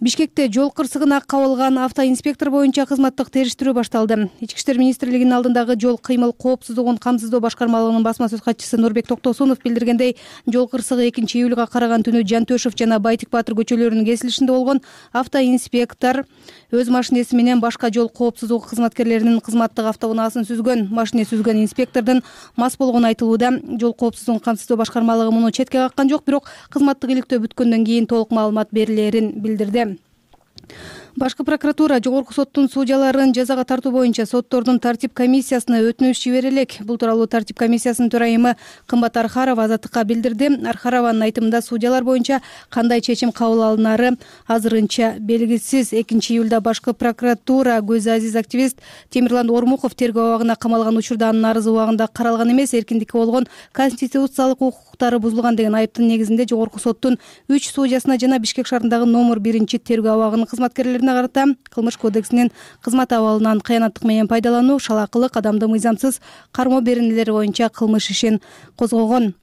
Бишкекте жол кырсыгына кабылган автоинспектор боюнча кызматтык териштирүү башталды. Ички иштер министрлигинин алдындагы жол кыймыл коопсуздугун камсыздоо башкармалыгынын басма сөз катчысы Нурбек Токтосунов билдиргендей, жол кырсыгы 2-июлга караган түнү Жантөшев жана Байтик Баатыр көчөлөрүнүн кесилишинде болгон. Автоинспектор өз машинеси менен башка жол коопсуздугу кызматкерлеринин кызматтык автоунаасын сүзгөн. Машине сүзгөн инспектордун мас болгону айтылууда. Жол коопсуздугун камсыздоо башкармалыгы муну четке каккан жок, бирок кызматтык иликтөө бүткөндөн кийин толук маалымат берилерин билдирди. Башкы прокуратура жогорку соттун судьяларын жазага тартуу боюнча соттордун тартип комиссиясына өтүнүш жибере элек. Бул тууралуу тартип комиссиясынын төрайымы Кымбат Архарова Азаттыкка билдирди. Архарованын айтымында судьялар боюнча кандай чечим кабыл алынары азырынча белгисиз. 2-июлда башкы прокуратура Көз Азиз активист Темирлан Ормуков тергөө абагына камалган учурда анын арызы убагында каралган эмес, эркиндикке болгон конституциялык укуктары бузулган деген айыптын негизинде жогорку соттун 3 судьясына жана Бишкек шаарындагы номер 1-тергөө абагынын кызматкерлерине карата Кылмыш кодексинин кызмат абалынан кыянаттык менен пайдалануу, шалакылык, адамды мыйзамсыз кармоо беренелери боюнча кылмыш ишин козгогон.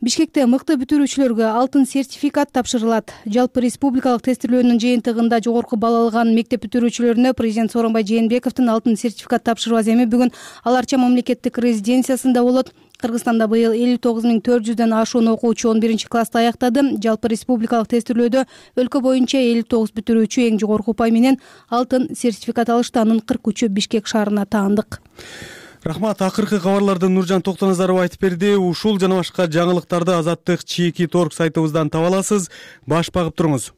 Бишкекте мыкты бүтүрүүчүлөргө алтын сертификат тапшырылат. Жалпы республикалык тестирлөөнүн жыйынтыгында жогорку балл алган мектеп бүтүрүүчүлөрүнө президент Сооронбай Жээнбековдун алтын сертификат тапшыруу аземи бүгүн Ал Арча мамлекеттик резиденциясында болот. Кыргызстанда быйыл 59.400дөн ашуун окуучу 11-классты аяктады. Жалпы республикалык тестирлөөдө өлкө боюнча 59 бүтүрүүчү эң жогорку упай менен алтын сертификат алышты. Анын 43-ü Бишкек шаарына таандык. Рахмат. Акыркы кабарларды Нуржан Токтоназарова айтып берди. Ушул жана башка жаңылыктарды Азаттык чийки торг сайтыбыздан таба аласыз. Баш багып туруңуз.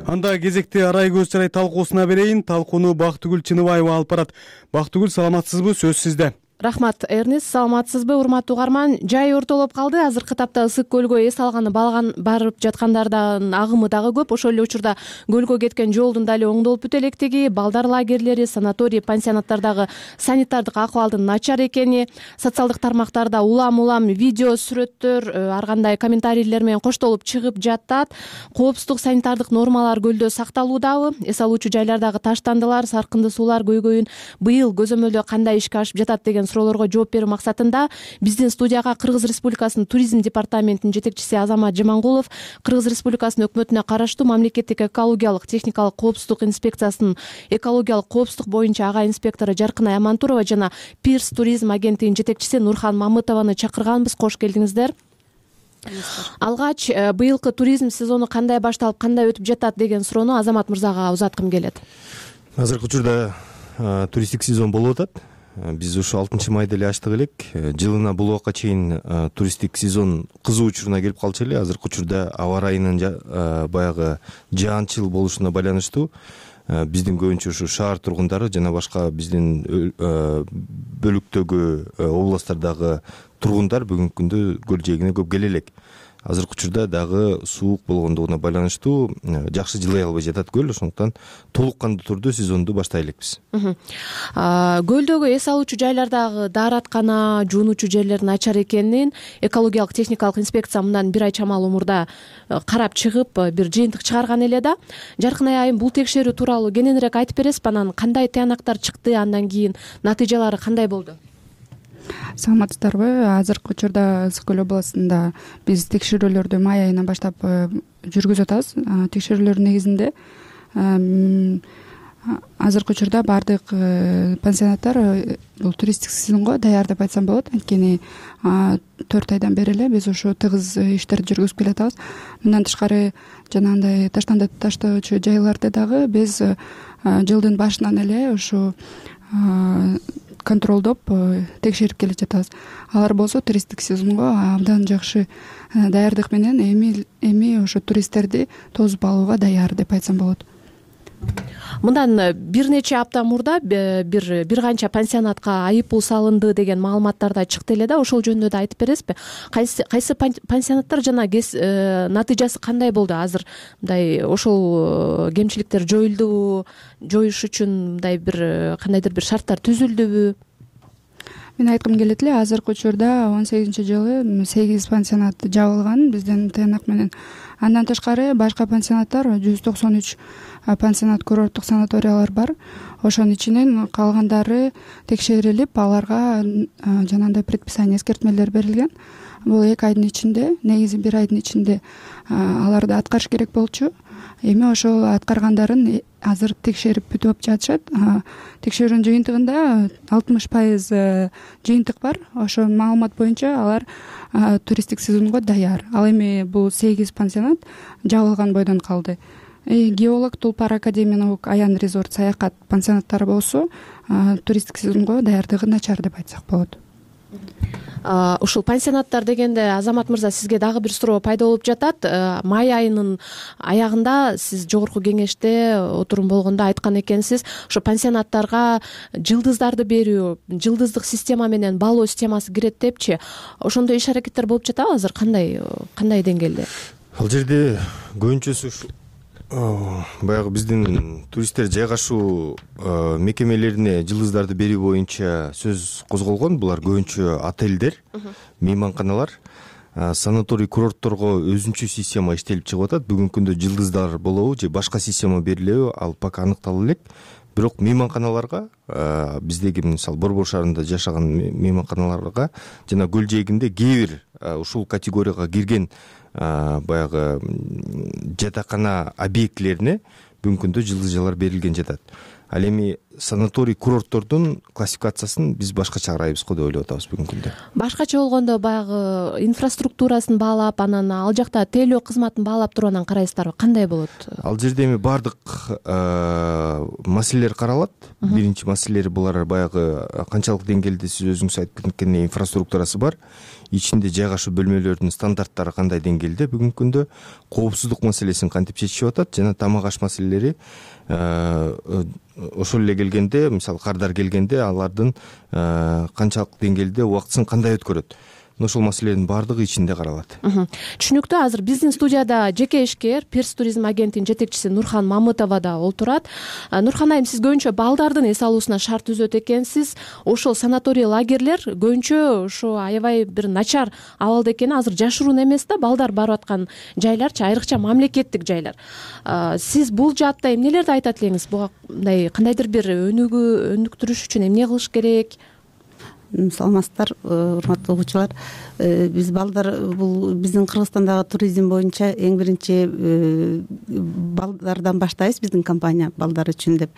Анда кезекти Арай көз чырай талкуусуна берейин. Талкууну Бактыгүл Чыныбаева алып барат. Бактыгүл, саламатсызбы? Сөз сизде. Рахмат, Эрнис, саламатсызбы? Урматтуу угарман, жай ортолоп калды. Азыркы тапта ысык көлгө эс алганы барып жаткандардын агымы дагы көп. Ошол эле учурда көлгө кеткен жолдун дали оңдолуп бүтө электиги, балдар лагерлери, санаторий, пансионаттардагы санитардык акыбалдын начар экени, социалдык тармактарда улам видео, сүрөттөр, ар кандай комментарийлер менен коштолуп чыгып жатат. Коопсуздук, санитардык нормалар көлдө сакталуудабы? Эс алуучу жайлардагы таштандылар, саркынды суулар көйгөйүн быйыл көзөмөлдө кандай ишке ашып жатат деген суроолорго жооп берүү максатында биздин студияга Кыргыз Республикасынын туризм департаментинин жетекчиси Азамат Жамангулов, Кыргыз Республикасынын өкмөтүнө караштуу мамлекеттик экологиялык техникалык коопсуздук инспекциясынын экологиялык коопсуздук боюнча ага инспектору Жаркынай Амантурова жана Пирс туризм агенттигинин жетекчиси Нурхан Мамытованы чакырганбыз. Кош келдиңиздер. Алгач быйылкы туризм сезону кандай башталып, кандай өтүп жатат деген суроону Азамат мырзага узаткым келет. Азыркы учурда туристтик сезон болуп атат. Биз ушу 6-майда эле ачтык элек. Жылына бул убакка чейин туристтик сезон кызуу учуруна келип калчу эле. Азыркы учурда аба ырайынын баягы жаанчыл болушуна байланыштуу биздин көбүнчө ушу шаар тургундары жана башка биздин бөлүктөгү областтардагы тургундар бүгүнкү күндө көл жээгине көп келе элек. Азыркы учурда дагы суук болгондугуна байланыштуу жакшы жылый албай жатат көл, ошондуктан толук кандуу түрдө сезонду баштай элекпиз. Көлдөгү эс алуучу жайлардагы даараткана, жуунуучу жерлер начар экенин экологиялык техникалык инспекция мындан бир ай чамалуу мурда карап чыгып бир жыйынтык чыгарган эле да. Жаркынай айым, бул текшерүү тууралуу кененирээк айтып бересизби? Анан кандай тыянактар чыкты, андан кийин натыйжалары кандай болду? Саламатсыздарбы? Азыркы учурда Ысык көл областында биз текшерүүлөрдү май айынан баштап жүргүзүп атабыз. Текшерүүлөрдүн негизинде азыркы учурда баардык пансионаттар бул туристтик сезонго даяр деп айтсам болот. Анткени 4 айдан бери эле биз ушу тыгыз иштерди жүргүзүп келатабыз. Мындан тышкары жанагындай таштоочу жайларды дагы биз жылдын башынан эле ушу контролдоп текшерип келе жатабыз. Алар болсо туристтик сезонго абдан жакшы даярдык менен эми ошо туристтерди тосуп алууга даяр деп айтсам болот. Мындан бир нече апта мурда бир канча пансионатка айыппул салынды деген маалыматтар да чыкты эле да. Ошол жөнүндө да айтып бересизби? Кайсы пансионаттар жана натыйжасы кандай болду? Азыр мындай ошол кемчиликтер жоюлдубу? Жоюш үчүн мындай бир кандайдыр бир шарттар түзүлдүбү? Мен айткым келет эле, азыркы учурда 18-жылы 8 пансионат жабылган биздин тыянак менен. Андан тышкары башка пансионаттар 193 пансионат курорттук санаториялар бар. Ошонун ичинен калгандары текшерилип, аларга жанагындай предписание, эскертмелер берилген. Бул 2 айдын ичинде, негизи 1 айдын ичинде аларды аткарыш керек болчу. Эми ошол аткаргандарын азыр текшерип бүтүп жатышат. Текшерүүнүн жыйынтыгында 60% жыйынтык бар. Ошол маалымат боюнча алар туристтик сезонго даяр. Ал эми бул 8 пансионат жабылган бойдон калды. Геолог, Тулпар Академиялык Аян резорт саякат пансионаттары болсо туристтик сезонго даярдыгы начар деп айтсак болот. Ушул пансионаттар дегенде, Азамат мырза, сизге дагы бир суроо пайда болуп жатат. Май айынын аягында сиз жогорку кеңеште отурум болгондо айткан экенсиз, ошо пансионаттарга жылдыздарды берүү, жылдыздык система менен баалоо системасы кирет депчи. Ошондой иш аракеттер болуп жатабы азыр? Кандай деңгээлде? Ал жерде көбүнчөсү баягы биздин туристтер жайгашуу мекемелерине жылдыздарды берүү боюнча сөз козголгон. Булар көбүнчө отелдер, мейманканалар, санаторий курортторго өзүнчө система иштелип чыгып атат. Бүгүнкү күндө жылдыздар болобу же башка система берилеби, ал пока аныктала элек. Бирок мейманканаларга, биздеги мисалы Борбор шаарында жашаган мейманканаларга жана көл жээгинде кээ бир ушул категорияга кирген баягы жатакана объектилерине бүгүнкү күндө жылдызжалар берилген жатат. Ал эми санаторий курорттордун классификациясын биз башкача карайбыз го деп ойлоп атабыз бүгүнкү күндө. Башкача болгондо баягы инфраструктурасын баалап, анан ал жакта тейлөө кызматын баалап туруп анан карайсыздарбы? Кандай болот? Ал жерде эми баардык маселелер каралат. Биринчи маселелери булар баягы канчалык деңгээлде сиз өзүңүз айтып кеткендей инфраструктурасы бар. Ичинде жайгашуу бөлмөлөрдүн стандарттары кандай деңгээлде бүгүнкү күндө, коопсуздук маселесин кантип чечишип атат жана тамак аш маселелери ошол эле келгенде, мисалы кардар келгенде алардын канчалык деңгээлде убактысын кандай өткөрөт. Ошол маселенин баардыгы ичинде каралат. Түшүнүктүү. Азыр биздин студияда жеке ишкер Пирс туризм агенттигинин жетекчиси Нурхан Мамытова да олтурат. Нурхан айым, сиз көбүнчө балдардын эс алуусуна шарт түзөт экенсиз. Ошол санаторий лагерлер көбүнчө ошо аябай бир начар абалда экени азыр жашыруун эмес да, балдар барып аткан жайларчы, айрыкча мамлекеттик жайлар. Сиз бул жаатта эмнелерди айтат элеңиз? Буга мындай кандайдыр бир өнүктүрүш үчүн эмне кылыш керек? саламатсыздар, урматтуу угуучулар. Биз балдар, бул биздин Кыргызстандагы туризм боюнча эң биринчи балдардан баштайбыз. Биздин компания балдар үчүн деп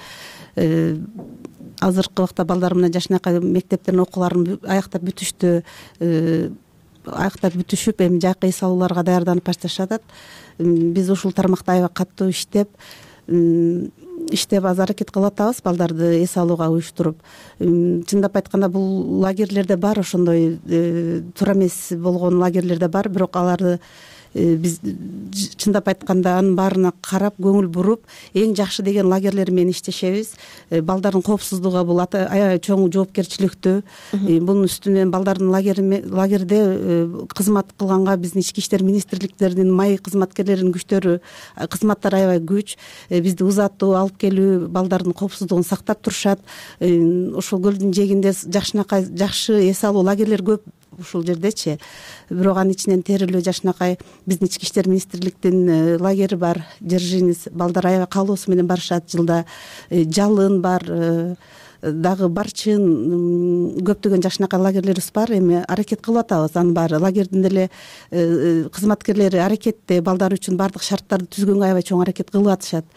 азыркы убакта балдар мына жашынакай мектептердин окууларын аяктап бүтүштү. Аяктап бүтүшүп, эми жайкы эс алууларга даярданып башташат. Биз ушул тармакта аябай катуу иштеп аз аракет кылып атабыз балдарды эс алууга уюштуруп. Чындап айтканда бул лагерлерде бар, ошондой туура эмес болгон лагерлерде бар, бирок аларды биз чындап айтканда анын баарына карап көңүл буруп, эң жакшы деген лагерлер менен иштешебиз. Балдардын коопсуздугу бул аябай чоң жоопкерчиликтүү. Бунун үстүнөн балдардын лагерде кызмат кылганга биздин ички иштер министрликтеринин май кызматкерлеринин күчтөрү, кызматтары аябай күч. Бизди узатуу алып келүү, балдардын коопсуздугун сактап турушат. Ошол көлдүн жээгинде жакшы эс алуу лагерлер көп ушул жердечи. Бирок анын ичинен Терилүү, Жашынакай биздин ички иштер министрликтин лагери бар, Держинец, балдар аябай каалоосу менен барышат. Жылда Жалын бар, дагы Барчын, көптөгөн Жашынакай лагерлерибиз бар. Эми аракет кылып атабыз. Анын баары лагердин деле кызматкерлери аракетте, балдар үчүн баардык шарттарды түзгөнгө аябай чоң аракет кылып атышат.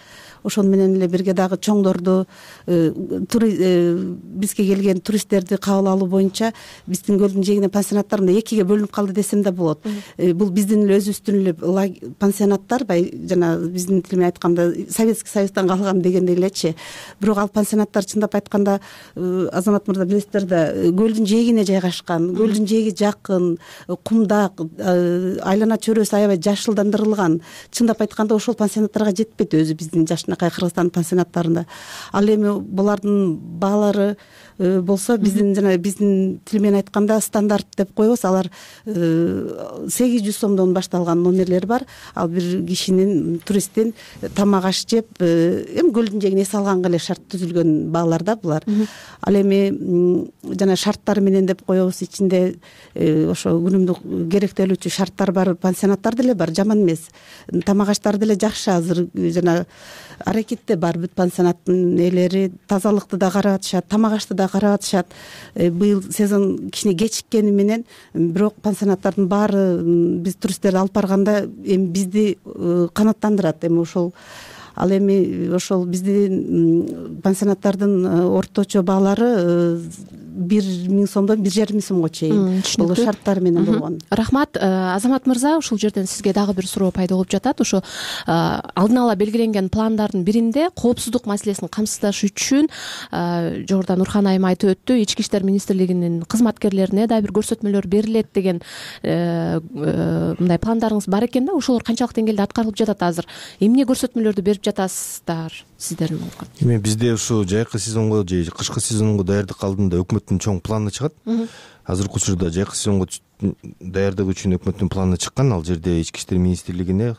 Ошону менен эле бирге дагы чоңдорду, бизге келген туристтерди кабыл алуу боюнча биздин көлдүн жээгинде пансионаттар мына экиге бөлүнүп калды десем да болот. Бул биздин эле өзүбүздүн эле пансионаттар, жана биздин тил менен айтканда Советский Союздан калган дегендей элечи. Бирок ал пансионаттар чындап айтканда, Азамат мырза билесиздер да, көлдүн жээгине жайгашкан, көлдүн жээги жакын, кумдак, айлана чөйрөсү аябай жашылдандырылган. Чындап айтканда ошол пансионаттарга жетпейт өзү биздин Кыргызстан пансионаттарында. Ал эми булардын баалары болсо биздин тил менен айтканда стандарт деп коебуз. Алар 800 сомдон башталган номерлер бар. Ал бир кишинин, туристтин тамак аш жеп, эми көлдүн жээгине эс алганга эле шарт түзүлгөн баалар да булар. Ал эми жана шарттары менен деп коебуз, ичинде ошо күнүмдүк керектелүүчү шарттар бар, пансионаттар деле бар, жаман эмес. Тамак аштары деле жакшы, азыр жана аракетте бар бүт пансионаттын ээлери, тазалыкты да карап атышат, тамак ашты да карап атышат. Быйыл сезон кичине кечиккени менен, бирок пансионаттардын баары биз туристтерди алып барганда эми бизди канааттандырат. Эми ошол Ал эми ошол биздин пансионаттардын орточо баалары 1000 сомдон 1500 сомго чейин. Бул шарттар менен болгон. Рахмат. Азамат мырза, ушул жерден сизге дагы бир суроо пайда болуп жатат. Ошо алдын ала белгиленген пландардын биринде коопсуздук маселесин камсыздаш үчүн жогоруда Нурхан айым айтып өттү, ички иштер министрлигинин кызматкерлерине да бир көрсөтмөлөр берилет деген мындай пландарыңыз бар экен да. Ошолор канчалык деңгээлде аткарылып жатат азыр? Эмне көрсөтмөлөрдү берип жатасыздар сиздердин? Эми бизде ушу жайкы сезонго же кышкы сезонго даярдык алдында өкмөттүн чоң планы чыгат. Азыркы учурда жайкы сезонго даярдык үчүн өкмөттүн планы чыккан. Ал жерде ички иштер министрлигине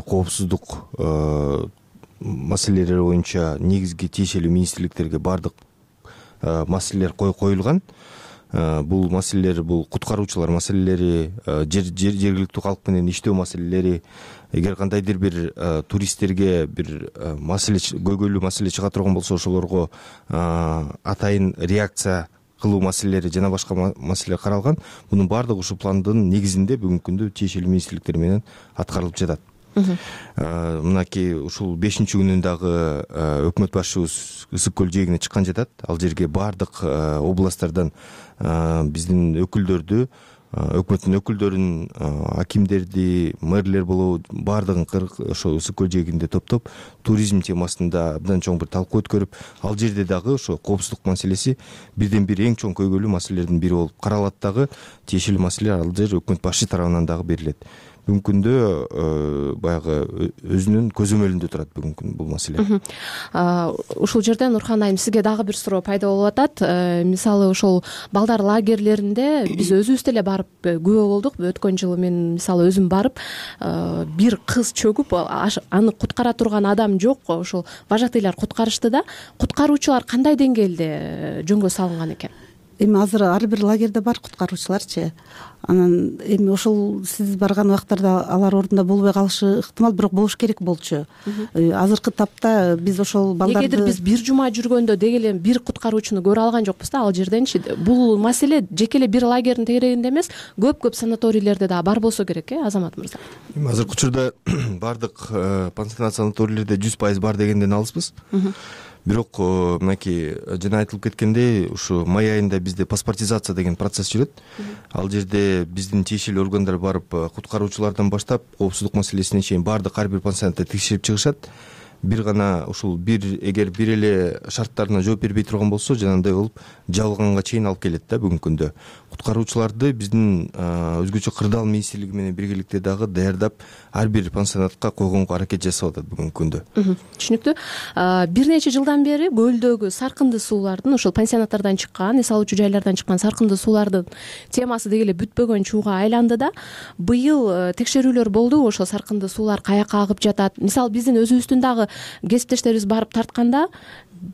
коопсуздук маселелери боюнча негизги тиешелүү министрликтерге баардык маселелер коюлган. Бул маселелер, бул куткаруучулар маселелери, жергиликтүү калк менен иштөө маселелери. Эгер кандайдыр бир туристтерге бир маселе, көйгөйлүү маселе чыга турган болсо, ошолорго атайын реакция кылуу маселелери жана башка маселелер каралган. Мунун баардыгы ушул пландын негизинде бүгүнкү күндө тиешелүү министрликтер менен аткарылып жатат. Мынакей ушул 5-күнүн дагы өкмөт башчыбыз Ысык көл жээгине чыккан жатат. Ал жерге баардык областтардан биздин өкүлдөрдү, өкмөттүн өкүлдөрүн, акимдерди, мэрлер болобу, баардыгын ошо Ысык көл жээгинде топтоп, туризм темасында абдан чоң бир талкуу өткөрүп, ал жерде дагы ошо коопсуздук маселеси бирден бир эң чоң көйгөйлүү маселелердин бири болуп каралат. Дагы тиешелүү маселелер ал жер өкмөт башчы тарабынан дагы берилет. Бүгүнкү күндө баягы өзүнүн көзөмөлүндө турат бүгүнкү күн бул маселе. Ушул жерде Нурхан айым, сизге дагы бир суроо пайда болуп атат. Мисалы ошол балдар лагерлеринде биз өзүбүз деле барып күбө болдук. Өткөн жылы мен мисалы өзүм барып, бир кыз чөгүп, аны куткара турган адам жок. Ошол вожатыйлар куткарышты да. Куткаруучулар кандай деңгээлде жөнгө салынган экен? эми азыр ар бир лагерде бар куткаруучуларчы. Анан эми ошол сиз барган убактарда алар ордунда болбой калышы ыктымал, бирок болуш керек болчу. Азыркы тапта биз ошол балдарды негедир биз бир жума жүргөндө деги эле бир куткаруучуну көрө алган жокпуз да ал жерденчи. Бул маселе жеке эле бир лагердин тегерегинде эмес, көп көп да бар болсо керек, Азамат мырза. Эми азыркы учурда баардык пансионат санаторийлерде 100% бар дегенден алыспыз. Бирок мынакей жана айтылып кеткендей, ушу май айында бизде паспортизация деген процесс жүрөт. Ал жерде биздин тиешелүү органдар барып куткаруучулардан баштап коопсуздук маселесине чейин баардык ар бир пансионатты текшерип чыгышат. Бир гана ушул эгер бир эле шарттарына жооп бербей турган болсо, жанагындай болуп жабылганга чейин алып келет да бүгүнкү күндө. Куткаруучуларды биздин өзгөчө кырдаал министрлиги менен биргеликте дагы даярдап ар бир пансионатка койгонго аракет жасап атат бүгүнкү күндө. Түшүнүктүү. Бир нече жылдан бери көлдөгү саркынды суулардын, ошол пансионаттардан чыккан, эс алуучу жайлардан чыккан саркынды суулардын темасы деги эле бүтпөгөн чууга айланды да. Быйыл текшерүүлөр болду, ошол саркынды суулар каяка агып жатат. Мисалы биздин өзүбүздүн дагы кесиптештерибиз барып тартканда,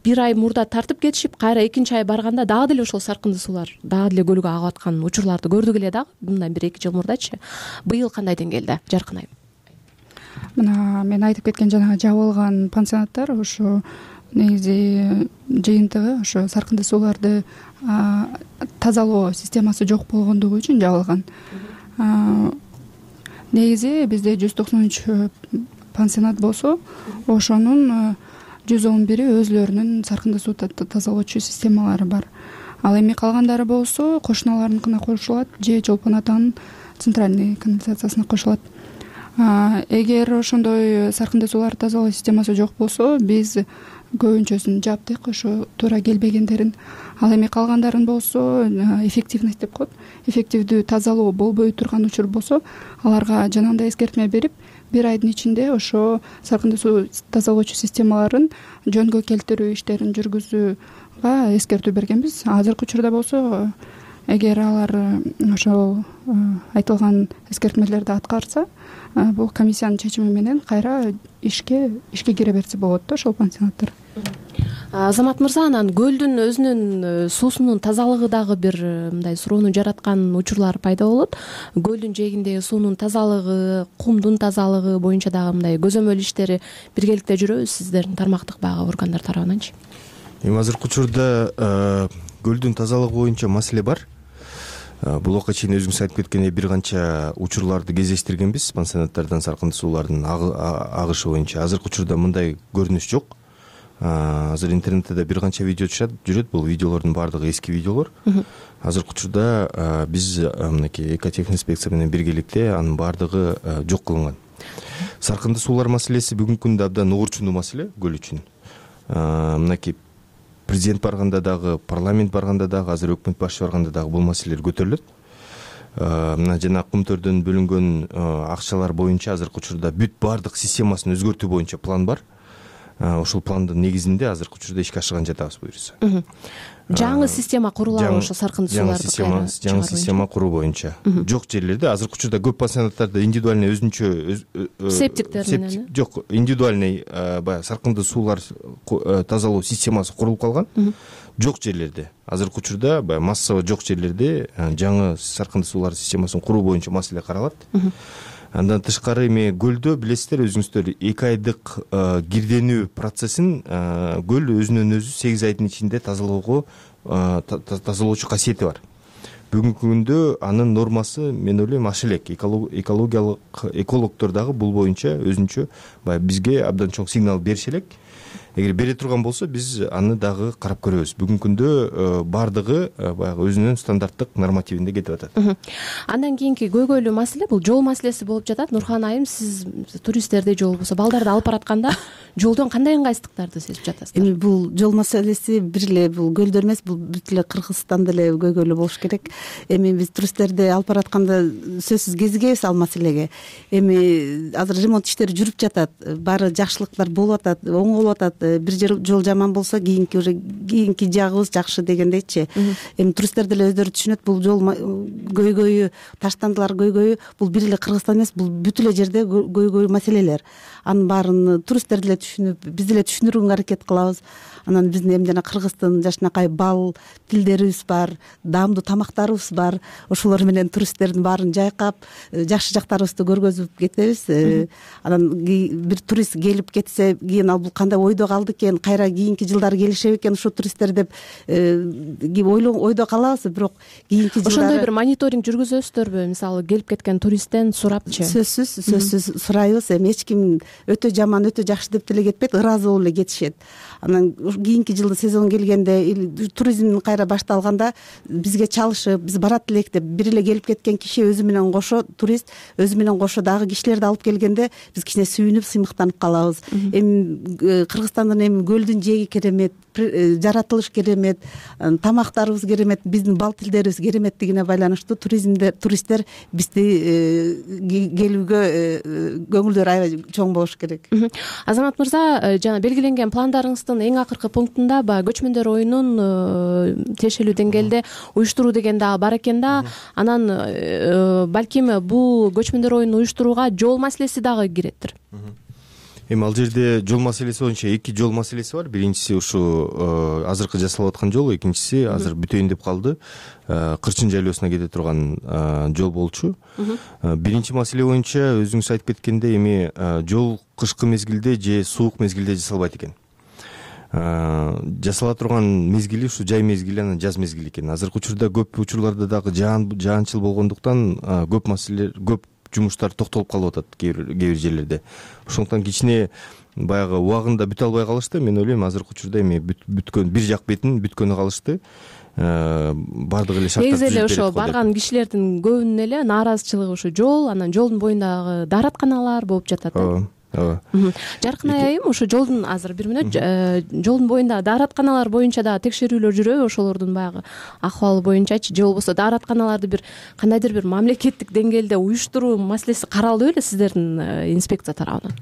бир ай мурда тартып кетишип, кайра экинчи ай барганда дагы деле ошол саркынды суулар дагы деле көлгө агып аткан учурларды көрдүк эле дагы мындан бир 2 жыл мурдачы. Быйыл кандай деңгээлде, Жаркын айым? Мына мен айтып кеткен жанагы жабылган пансионаттар ошо негизи жыйынтыгы ошо саркынды сууларды тазалоо системасы жок болгондугу үчүн жабылган. Негизи бизде 193 пансионат болсо, ошонун 111 өзлөрүнүн саркынды суу тазалоочу системалары бар. Ал эми калгандары болсо кошуналарыныкына кошулат же Чолпон атанын центральный канализациясына кошулат. Эгер ошондой саркынды сууларды тазалоо системасы жок болсо, биз көбүнчөсүн жаптык, ошо туура келбегендерин. Ал эми калгандарын болсо эффективность деп коет. Эффективдүү тазалоо болбой турган учур болсо, аларга жанагындай эскертме берип, бир айдын ичинде ошо саркынды суу тазалоочу системаларын жөнгө келтирүү иштерин жүргүзүүгө эскертүү бергенбиз. Азыркы учурда болсо, эгер алар ошол айтылган эскертмелерди аткарса, бул комиссиянын чечими менен кайра ишке кире берсе болот да ошол пансионаттар. Азамат мырза, анан көлдүн өзүнүн суусунун тазалыгы дагы бир мындай суроону жараткан учурлар пайда болот. Көлдүн жээгиндеги суунун тазалыгы, кумдун тазалыгы боюнча дагы мындай көзөмөл иштери биргеликте жүрөбүз сиздердин тармактык баягы органдар тарабынанчы. Эми азыркы учурда көлдүн тазалыгы боюнча маселе бар. Бул убакка чейин өзүңүз айтып кеткендей бир канча учурларды кезештиргенбиз пансионаттардан саркынды суулардын агышы боюнча. Азыркы учурда мындай көрүнүш жок. Азыр интернетте да бир канча видео жүрөт. Бул видеолордун баардыгы эски видеолор. Азыркы учурда биз мынакей экотехинспекция менен биргеликте анын баардыгы жок кылынган. Саркынды суулар маселеси бүгүнкү күндө абдан уурчундуу маселе көл үчүн. Мынакей президент барганда дагы, парламент барганда дагы, азыр өкмөт башчы барганда дагы бул маселелер көтөрүлөт. Мына жана кумтөрдөн бөлүнгөн акчалар боюнча азыркы учурда бүт баардык системасын өзгөртүү боюнча план бар. Ошол пландын негизинде азыркы учурда ишке ашырган жатабыз буюрса. Жаңы система курулабы ошо саркынды сууларды жаңы система куруу боюнча. Жок жерлерде азыркы учурда көп пансионаттарда индивидуальный өзүнчө септиктер менен жок, индивидуальный баягы саркынды суулар тазалоо системасы курулуп калган. Жок жерлерде азыркы учурда баягы массово жок жерлерде жаңы саркынды суулар системасын куруу боюнча маселе каралат. Андан тышкары эми көлдө билесиздер өзүңүздөр 2 айдык кирденүү процессин көл өзүнөн өзү 8 айдын ичинде тазалоочу касиети бар. Бүгүнкү күндө анын нормасы мен ойлойм аша элек. Экологдор дагы бул боюнча өзүнчө баягы бизге абдан чоң сигнал бериши элек. Эгер бере турган болсо биз аны дагы карап көрөбүз. Бүгүнкү күндө баардыгы баягы өзүнүн стандарттык нормативинде кетип атат. Андан кийинки көйгөйлүү маселе бул жол маселеси болуп жатат. Нурхан айым, сиз туристтерди же болбосо балдарды алып баратканда жолдон кандай ыңгайсыздыктарды сезип жатасыздар? Эми бул жол маселеси бир эле бул көлдө эмес, бул бүт эле Кыргызстанда эле көйгөйлүү болуш керек. Эми биз туристтерди алып баратканда сөзсүз кезигебиз ал маселеге. Эми азыр ремонт иштери жүрүп жатат, баары жакшылыктар болуп атат, оңолуп атат. бир жол жаман болсо кийинки жагыбыз жакшы дегендейчи. Эми туристтер деле өздөрү түшүнөт, бул жол көйгөйү, таштандылар көйгөйү бул бир эле Кыргызстан эмес, бул бүт эле жерде көйгөй маселелер. Анын баарын туристтер деле түшүнүп, биз деле түшүндүрүүгө аракет кылабыз. Анан биздин эми жана Кыргыздын жакшынакай бал тилдерибиз бар, даамдуу тамактарыбыз бар. Ошолор менен туристтердин баарын жайкап, жакшы жактарыбызды көргөзүп кетебиз. Анан бир турист келип кетсе, кийин ал бул кандай ойдо калды экен, кайра кийинки жылдары келишеби экен ушул туристтер деп ойдо калабыз. Бирок кийинки жылдары ошондой бир мониторинг жүргүзөсүздөрбү? Мисалы келип кеткен туристтен сурапчы. Сөзсүз сурайбыз. Эми эч ким өтө жаман, өтө жакшы деп деле кетпейт, ыраазы болуп эле кетишет. Анан кийинки жылы сезон келгенде, туризм кайра башталганда бизге чалышып, биз барат элек деп бир эле келип кеткен киши өзү менен кошо, турист өзү менен кошо дагы кишилерди алып келгенде биз кичине сүйүнүп, сыймыктанып калабыз. Эми Кыргызстандын эми көлдүн жээги керемет, жаратылыш керемет, тамактарыбыз керемет, биздин бал тилдерибиз кереметтигине байланыштуу туристтер бизди келүүгө көңүлдөрү аябай чоң болуш керек. Азамат мырза, жана белгиленген пландарыңыздын эң акыркы пунктунда баягы көчмөндөр оюнун тиешелүү деңгээлде уюштуруу деген дагы бар экен да. Анан балким бул көчмөндөр оюнун уюштурууга жол маселеси дагы киреттир. Эми ал жерде жол маселеси боюнча эки жол маселеси бар. Биринчиси ушу азыркы жасалып аткан жол, экинчиси азыр бүтөйүн деп калды. Кырчын жайлоосуна кете турган жол болчу. Биринчи маселе боюнча өзүңүз айтып кеткендей, эми жол кышкы мезгилде же суук мезгилде жасалбайт экен. Жасала турган мезгили ушу жай мезгили, анан жаз мезгили экен. Азыркы учурда көп учурларда дагы жаанчыл болгондуктан көп маселелер, көп жумуштар токтолуп калып атат кээ бир жерлерде. Ошондуктан кичине баягы убагында бүтө албай калышты. Мен ойлойм азыркы учурда эми бүткөн бир жак бетин бүткөнү калышты. Бардык эле шарттар негизи эле ошо барган кишилердин көбүнүн эле нааразычылыгы ушу жол, анан жолдун боюндагы дааратканалар болуп жатат. Ооба. Жаркын айым, ошо жолдун азыр бир мүнөт жолдун боюндагы дааратканалар боюнча дагы текшерүүлөр жүрөбү? Ошолордун баягы акыбалы боюнчачы, же болбосо дааратканаларды бир кандайдыр бир мамлекеттик деңгээлде уюштуруу маселеси каралдыбы беле сиздердин инспекция тарабынан?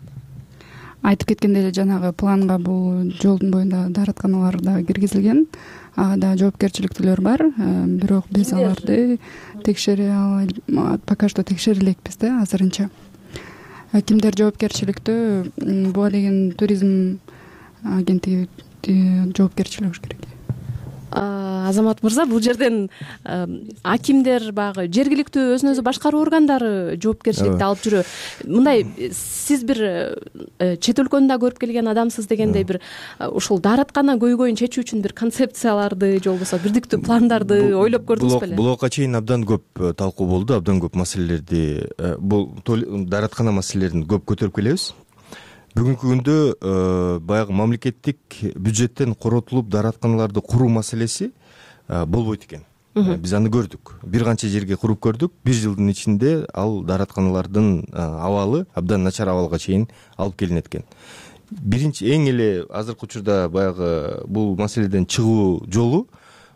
Айтып кеткендей эле жанагы планга бул жолдун боюндагы дааратканалар да киргизилген. Ага да жоопкерчиликтүүлөр бар. Бирок биз аларды текшере пока что текшере элекпиз да азырынча. Кимдер жоопкерчиликтүү? Буга деген туризм агенттиги жоопкерчилиги болуш керек. Азамат мырза, бул жерден акимдер, баягы жергиликтүү өзүн өзү башкаруу органдары жоопкерчиликти алып жүрөбү? Мындай, сиз бир чет өлкөнү да көрүп келген адамсыз дегендей, бир ушул даараткана көйгөйүн чечүү үчүн бир концепцияларды же болбосо бирдиктүү пландарды ойлоп көрдүңүз беле? Буга чейин абдан көп талкуу болду, абдан көп маселелерди, бул даараткана маселелерин көп көтөрүп келебиз. Бүгүнкү күндө баягы мамлекеттик бюджеттен коротулуп дааратканаларды куруу маселеси болбойт экен. Биз аны көрдүк. Бир канча жерге куруп көрдүк. Бир жылдын ичинде ал дааратканалардын абалы абдан начар абалга чейин алып келинет экен. Биринчи эң эле азыркы учурда баягы бул маселеден чыгуу жолу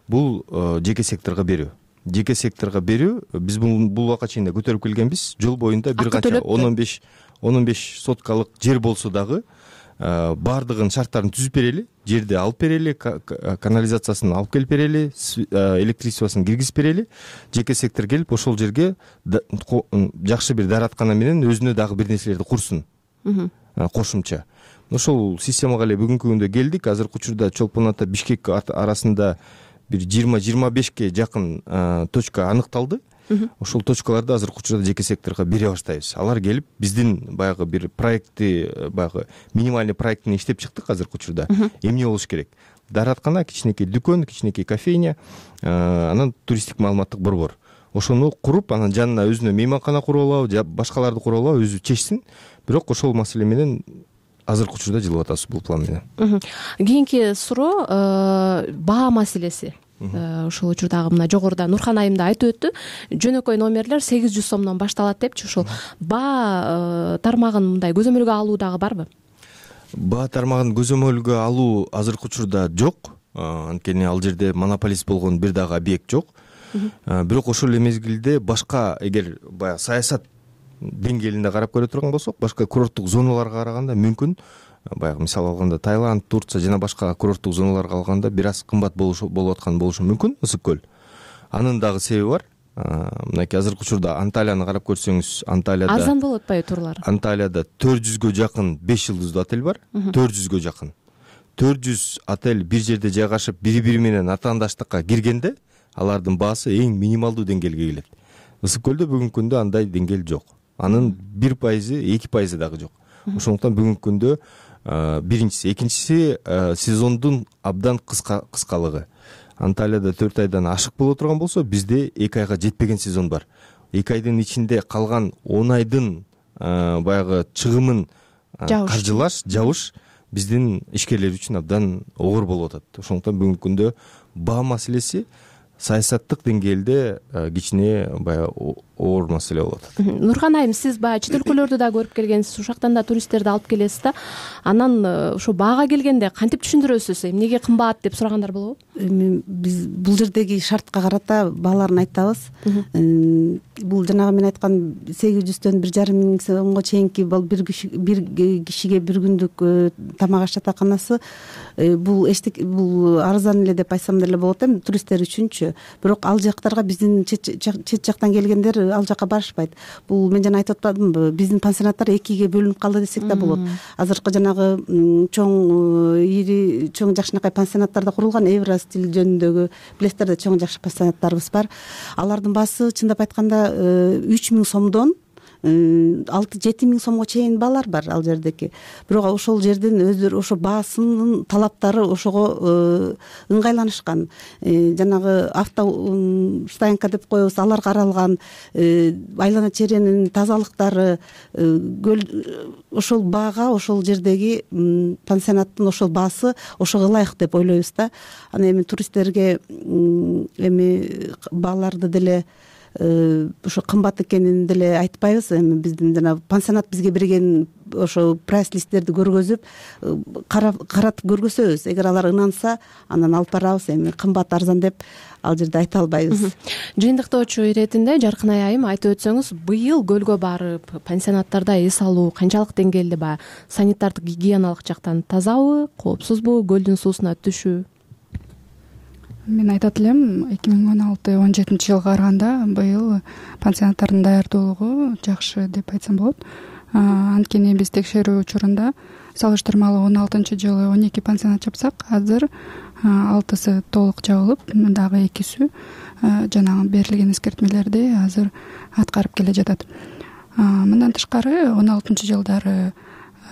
бул жеке секторго берүү. Жеке секторго берүү. Биз бул убакка чейин да көтөрүп келгенбиз. Жол боюнда бир канча 10-15 соткалык жер болсо дагы баардыгын шарттарын түзүп берели, жерди алып берели, канализациясын алып келип берели, электричествосын киргизип берели. Жеке сектор келип ошол жерге жакшы бир даараткана менен өзүнө дагы бир нерселерди курсун. Кошумча. Ошол системага эле бүгүнкү күндө келдик. Азыркы учурда Чолпон ата Бишкек арасында бир 20-25ке жакын точка аныкталды. Ошол точкаларды азыркы учурда жеке секторго бере баштайбыз. Алар келип биздин баягы бир проектти, баягы минимальный проектин иштеп чыктык азыркы учурда. Эмне болуш керек? Даараткана, кичинекей дүкөн, кичинекей кофейня, анан туристтик маалыматтык борбор. Ошону куруп, анан жанына өзүнө мейманкана куруп алабы, же башкаларды куруп алабы, өзү чечсин. Бирок ошол маселе менен азыркы учурда жылып атабыз бул план менен. Кийинки суроо баа маселеси. Ушул учурдагы мына жогоруда Нурхан айым да айтып өттү. Жөнөкөй номерлер 800 сомдон башталат депчи. Ушул баа тармагын мындай көзөмөлгө алуу дагы барбы? Баа тармагын көзөмөлгө алуу азыркы учурда жок. Анткени ал жерде монополист болгон бир дагы объект жок. Бирок ошол эле мезгилде башка эгер баягы саясат деңгээлинде карап көрө турган болсок, башка курорттук зоналарга караганда мүмкүн баягы мисал алганда Таиланд, Турция жана башка курорттук зоналарга алганда бир аз кымбат болуп аткан болушу мүмкүн ысык көл. Анын дагы себеби бар. Мынакей азыркы учурда Анталияны карап көрсөңүз, Анталияда арзан болуп атпайбы турлар? Анталияда 400гө жакын 5 жылдыздуу отель бар. 400гө жакын. 400 отель бир жерде жайгашып, бири-бири менен атаандаштыкка киргенде, алардын баасы эң минималдуу деңгээлге келет. Ысык көлдө бүгүнкү күндө андай деңгээл жок. Анын 1%, 2% дагы жок. Ошондуктан бүгүнкү күндө биринчиси, экинчиси сезондун абдан кыскалыгы. Анталияда 4 айдан ашык боло турган болсо, бизде 2 айга жетпеген сезон бар. 2 айдын ичинде калган 10 айдын баягы чыгымын каржылаш, жабыш биздин ишкерлер үчүн абдан оор болуп атат. Ошондуктан бүгүнкү күндө баа маселеси саясаттык деңгээлде кичине баягы оор маселе болуп атат. Нурхан айым, сиз баягы чет өлкөлөрдү да көрүп келгенсиз, ушактан да туристтерди алып келесиз да. Анан ошо баага келгенде кантип түшүндүрөсүз? Эмнеге кымбат деп сурагандар болобу? Биз бул жердеги шартка карата бааларын айтабыз. Бул жанагы мен айткан 800төн 1,5 миң сомго чейинки бир кишиге бир күндүк тамак аш жатаканасы бул арзан эле деп айтсам деле болот эми туристтер үчүнчү. Бирок ал жактарга биздин чет жактан келгендер ал жака барышпайт. Бул мен жана айтып атпадымбы, биздин пансионаттар 2ге бөлүнүп калды десек да болот. Азыркы жанагы чоң жакшынакай пансионаттарда курулган Евростиль жөнүндөгү билесиздер да, чоң жакшы пансионаттарыбыз бар. Алардын баасы чындап айтканда 3000 сомдон 6-7 миң сомго чейин баалар бар ал жердеки. Бирок ошол жердин өздөрү ошо баасынын талаптары ошого ыңгайланышкан. Жанагы автостоянка деп коебуз, алар каралган, айлана чээренин тазалыктары, ошол баага, ошол жердеги пансионаттын ошол баасы ошого ылайык деп ойлойбуз да. Аны эми туристтерге эми бааларды деле ошо кымбат экенин деле айтпайбыз. Эми биздин жана пансионат бизге берген ошо прайс-листтерди көргөзүп, каратып көргөзөбүз. Эгер алар ынанса, анан алып барабыз. Эми кымбат арзан деп ал жерде айта албайбыз. Жыйынтыктоочу иретинде Жаркынай айым айтып өтсөңүз, быйыл көлгө барып пансионаттарда эс алуу канчалык деңгээлде баягы санитардык гигиеналык жактан тазабы, коопсузбу, көлдүн суусуна түшүү? Мен айтат элем, 2016-17 жылга караганда быйыл пансионаттардын даярдуулугу жакшы деп айтсам болот. Анткени биз текшерүү учурунда салыштырмалуу 16 жылы 12 пансионат жапсак, азыр 6сы толук жабылып, дагы 2сү жанагы берилген эскертмелерди азыр аткарып келе жатат. Мындан тышкары 16 жылдары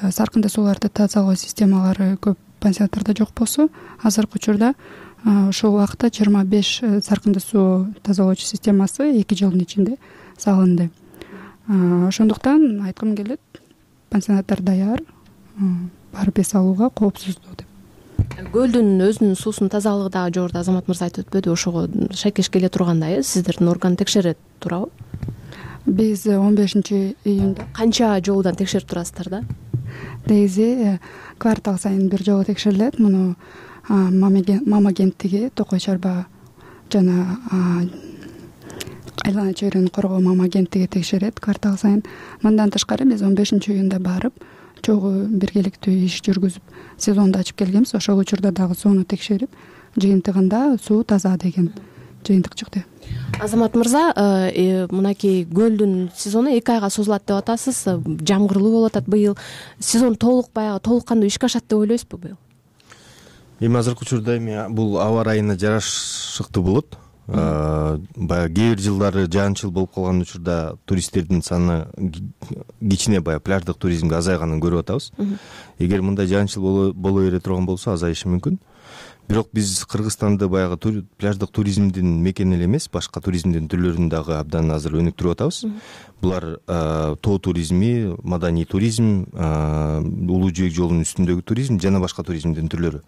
саркынды сууларды тазалоо системалары көп пансионаттарда жок болсо, азыркы учурда ошол убакта 25 саркынды суу тазалоочу системасы 2 жылдын ичинде салынды. Ошондуктан айткым келет, пансионаттар даяр, барып эс алууга коопсуздуу деп. Көлдүн өзүнүн суусунун тазалыгы дагы жогоруда Азамат мырза айтып өтпөдү, ошого шайкеш келе тургандай, сиздердин орган текшерет туурабы? Биз 15-июнда канча жолудан текшерип турасыздар да? Негизи квартал сайын бир жолу текшерилет. Муну мама кенттиги, Токой Чарба жана айлана чөйрөнү коргоо мама кенттиги текшерет квартал сайын. Мындан тышкары биз 15-июнда барып, чогуу биргеликтүү иш жүргүзүп, сезонду ачып келгенбиз. Ошол учурда дагы сууну текшерип, жыйынтыгында суу таза деген жыйынтык чыкты. Азамат мырза, мынакей көлдүн сезону 2 айга созулат деп атасыз. Жамгырлуу болуп атат быйыл. Сезон толук кандуу ишке ашат деп ойлойсузбу быйыл? Эми азыркы учурда бул аба ырайына жарашыктуу болот. Баягы кээ бир жылдары жаан-чыл болуп калган учурда туристтердин саны кичине баягы пляждык туризмге азайганын көрүп атабыз. Эгер мындай жаан-чыл боло бере турган болсо азайышы мүмкүн. Бирок биз Кыргызстанды баягы пляждык туризмдин мекени эле эмес, башка туризмдин түрлөрүн дагы абдан азыр өнүктүрүп атабыз. Булар тоо туризми, маданий туризм, улуу жибек жолунун үстүндөгү туризм жана башка туризмдин түрлөрү.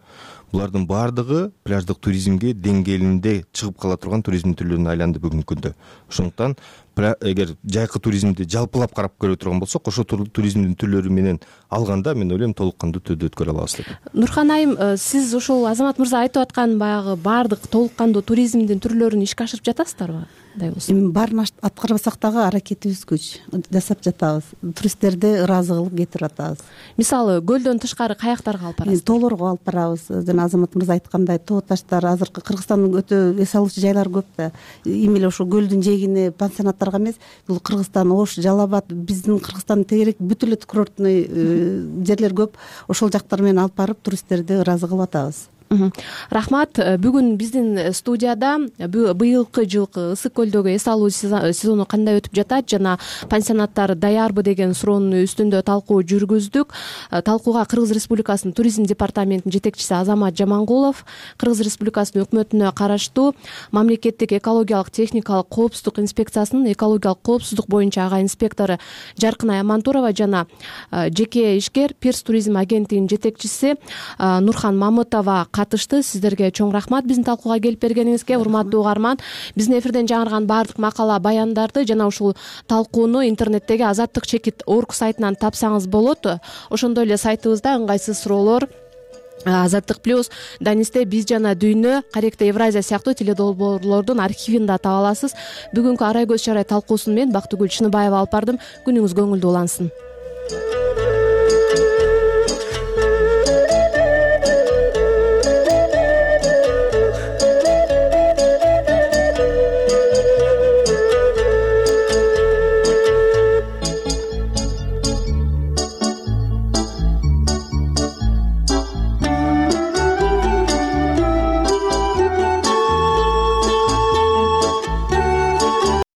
Булардын баардыгы пляждык туризмге деңгээлинде чыгып кала турган туризмдин түрлөрүнө айланды бүгүнкү күндө. Ошондуктан эгер жайкы туризмди жалпылап карап көрө турган болсок, ошол туризмдин түрлөрү менен алганда мен ойлойм толук кандуу түрдө өткөрө алабыз деп. Нурхан айым, сиз ушул Азамат мырза айтып аткан баягы баардык толук кандуу туризмдин түрлөрүн ишке ашырып жатасыздарбы? Эми баарын аткарбасак дагы аракетибиз күч жасап жатабыз. Туристтерди ыраазы кылып кетирип атабыз. Мисалы көлдөн тышкары каяктарга алып барасыз? Тоолорго алып барабыз. Жана Азамат мырза айткандай, тоо таштар, азыркы Кыргызстандын өтө эс алуучу жайлары көп да. Эми эле ошо көлдүн жээгине пансионаттарга эмес, бул Кыргызстан, Ош, Жалал Абад, биздин Кыргызстандын тегерек бүт эле курортный жерлер көп. Ошол жактар менен алып барып туристтерди ыраазы кылып атабыз. Рахмат. Бүгүн биздин студияда быйылкы жылкы ысык көлдөгү эс алуу сезону кандай өтүп жатат жана пансионаттар даярбы деген суроонун үстүндө талкуу жүргүздүк. Талкууга Кыргыз Республикасынын туризм департаментинин жетекчиси Азамат Жамангулов, Кыргыз Республикасынын өкмөтүнө караштуу мамлекеттик экологиялык техникалык коопсуздук инспекциясынын экологиялык коопсуздук боюнча ага инспектору Жаркынай Амантурова жана жеке ишкер Пирс туризм агенттигинин жетекчиси Нурхан Мамытова катышты. Сиздерге чоң рахмат биздин талкууга келип бергениңизге. Урматтуу угарман, биздин эфирден жаңырган баардык макала, баяндарды жана ушул талкууну интернеттеги azattik.org сайтынан тапсаңыз болот. Ошондой эле сайтыбызда ыңгайсыз суроолор, Азаттык плюс, Данисте, Биз жана Дүйнө, Каректе Евразия сыяктуу теледолбоорлордун архивин да таба аласыз. Бүгүнкү Арай көз чарай талкуусун мен Бактыгүл Чыныбаева алып бардым. Күнүңүз көңүлдүү улансын.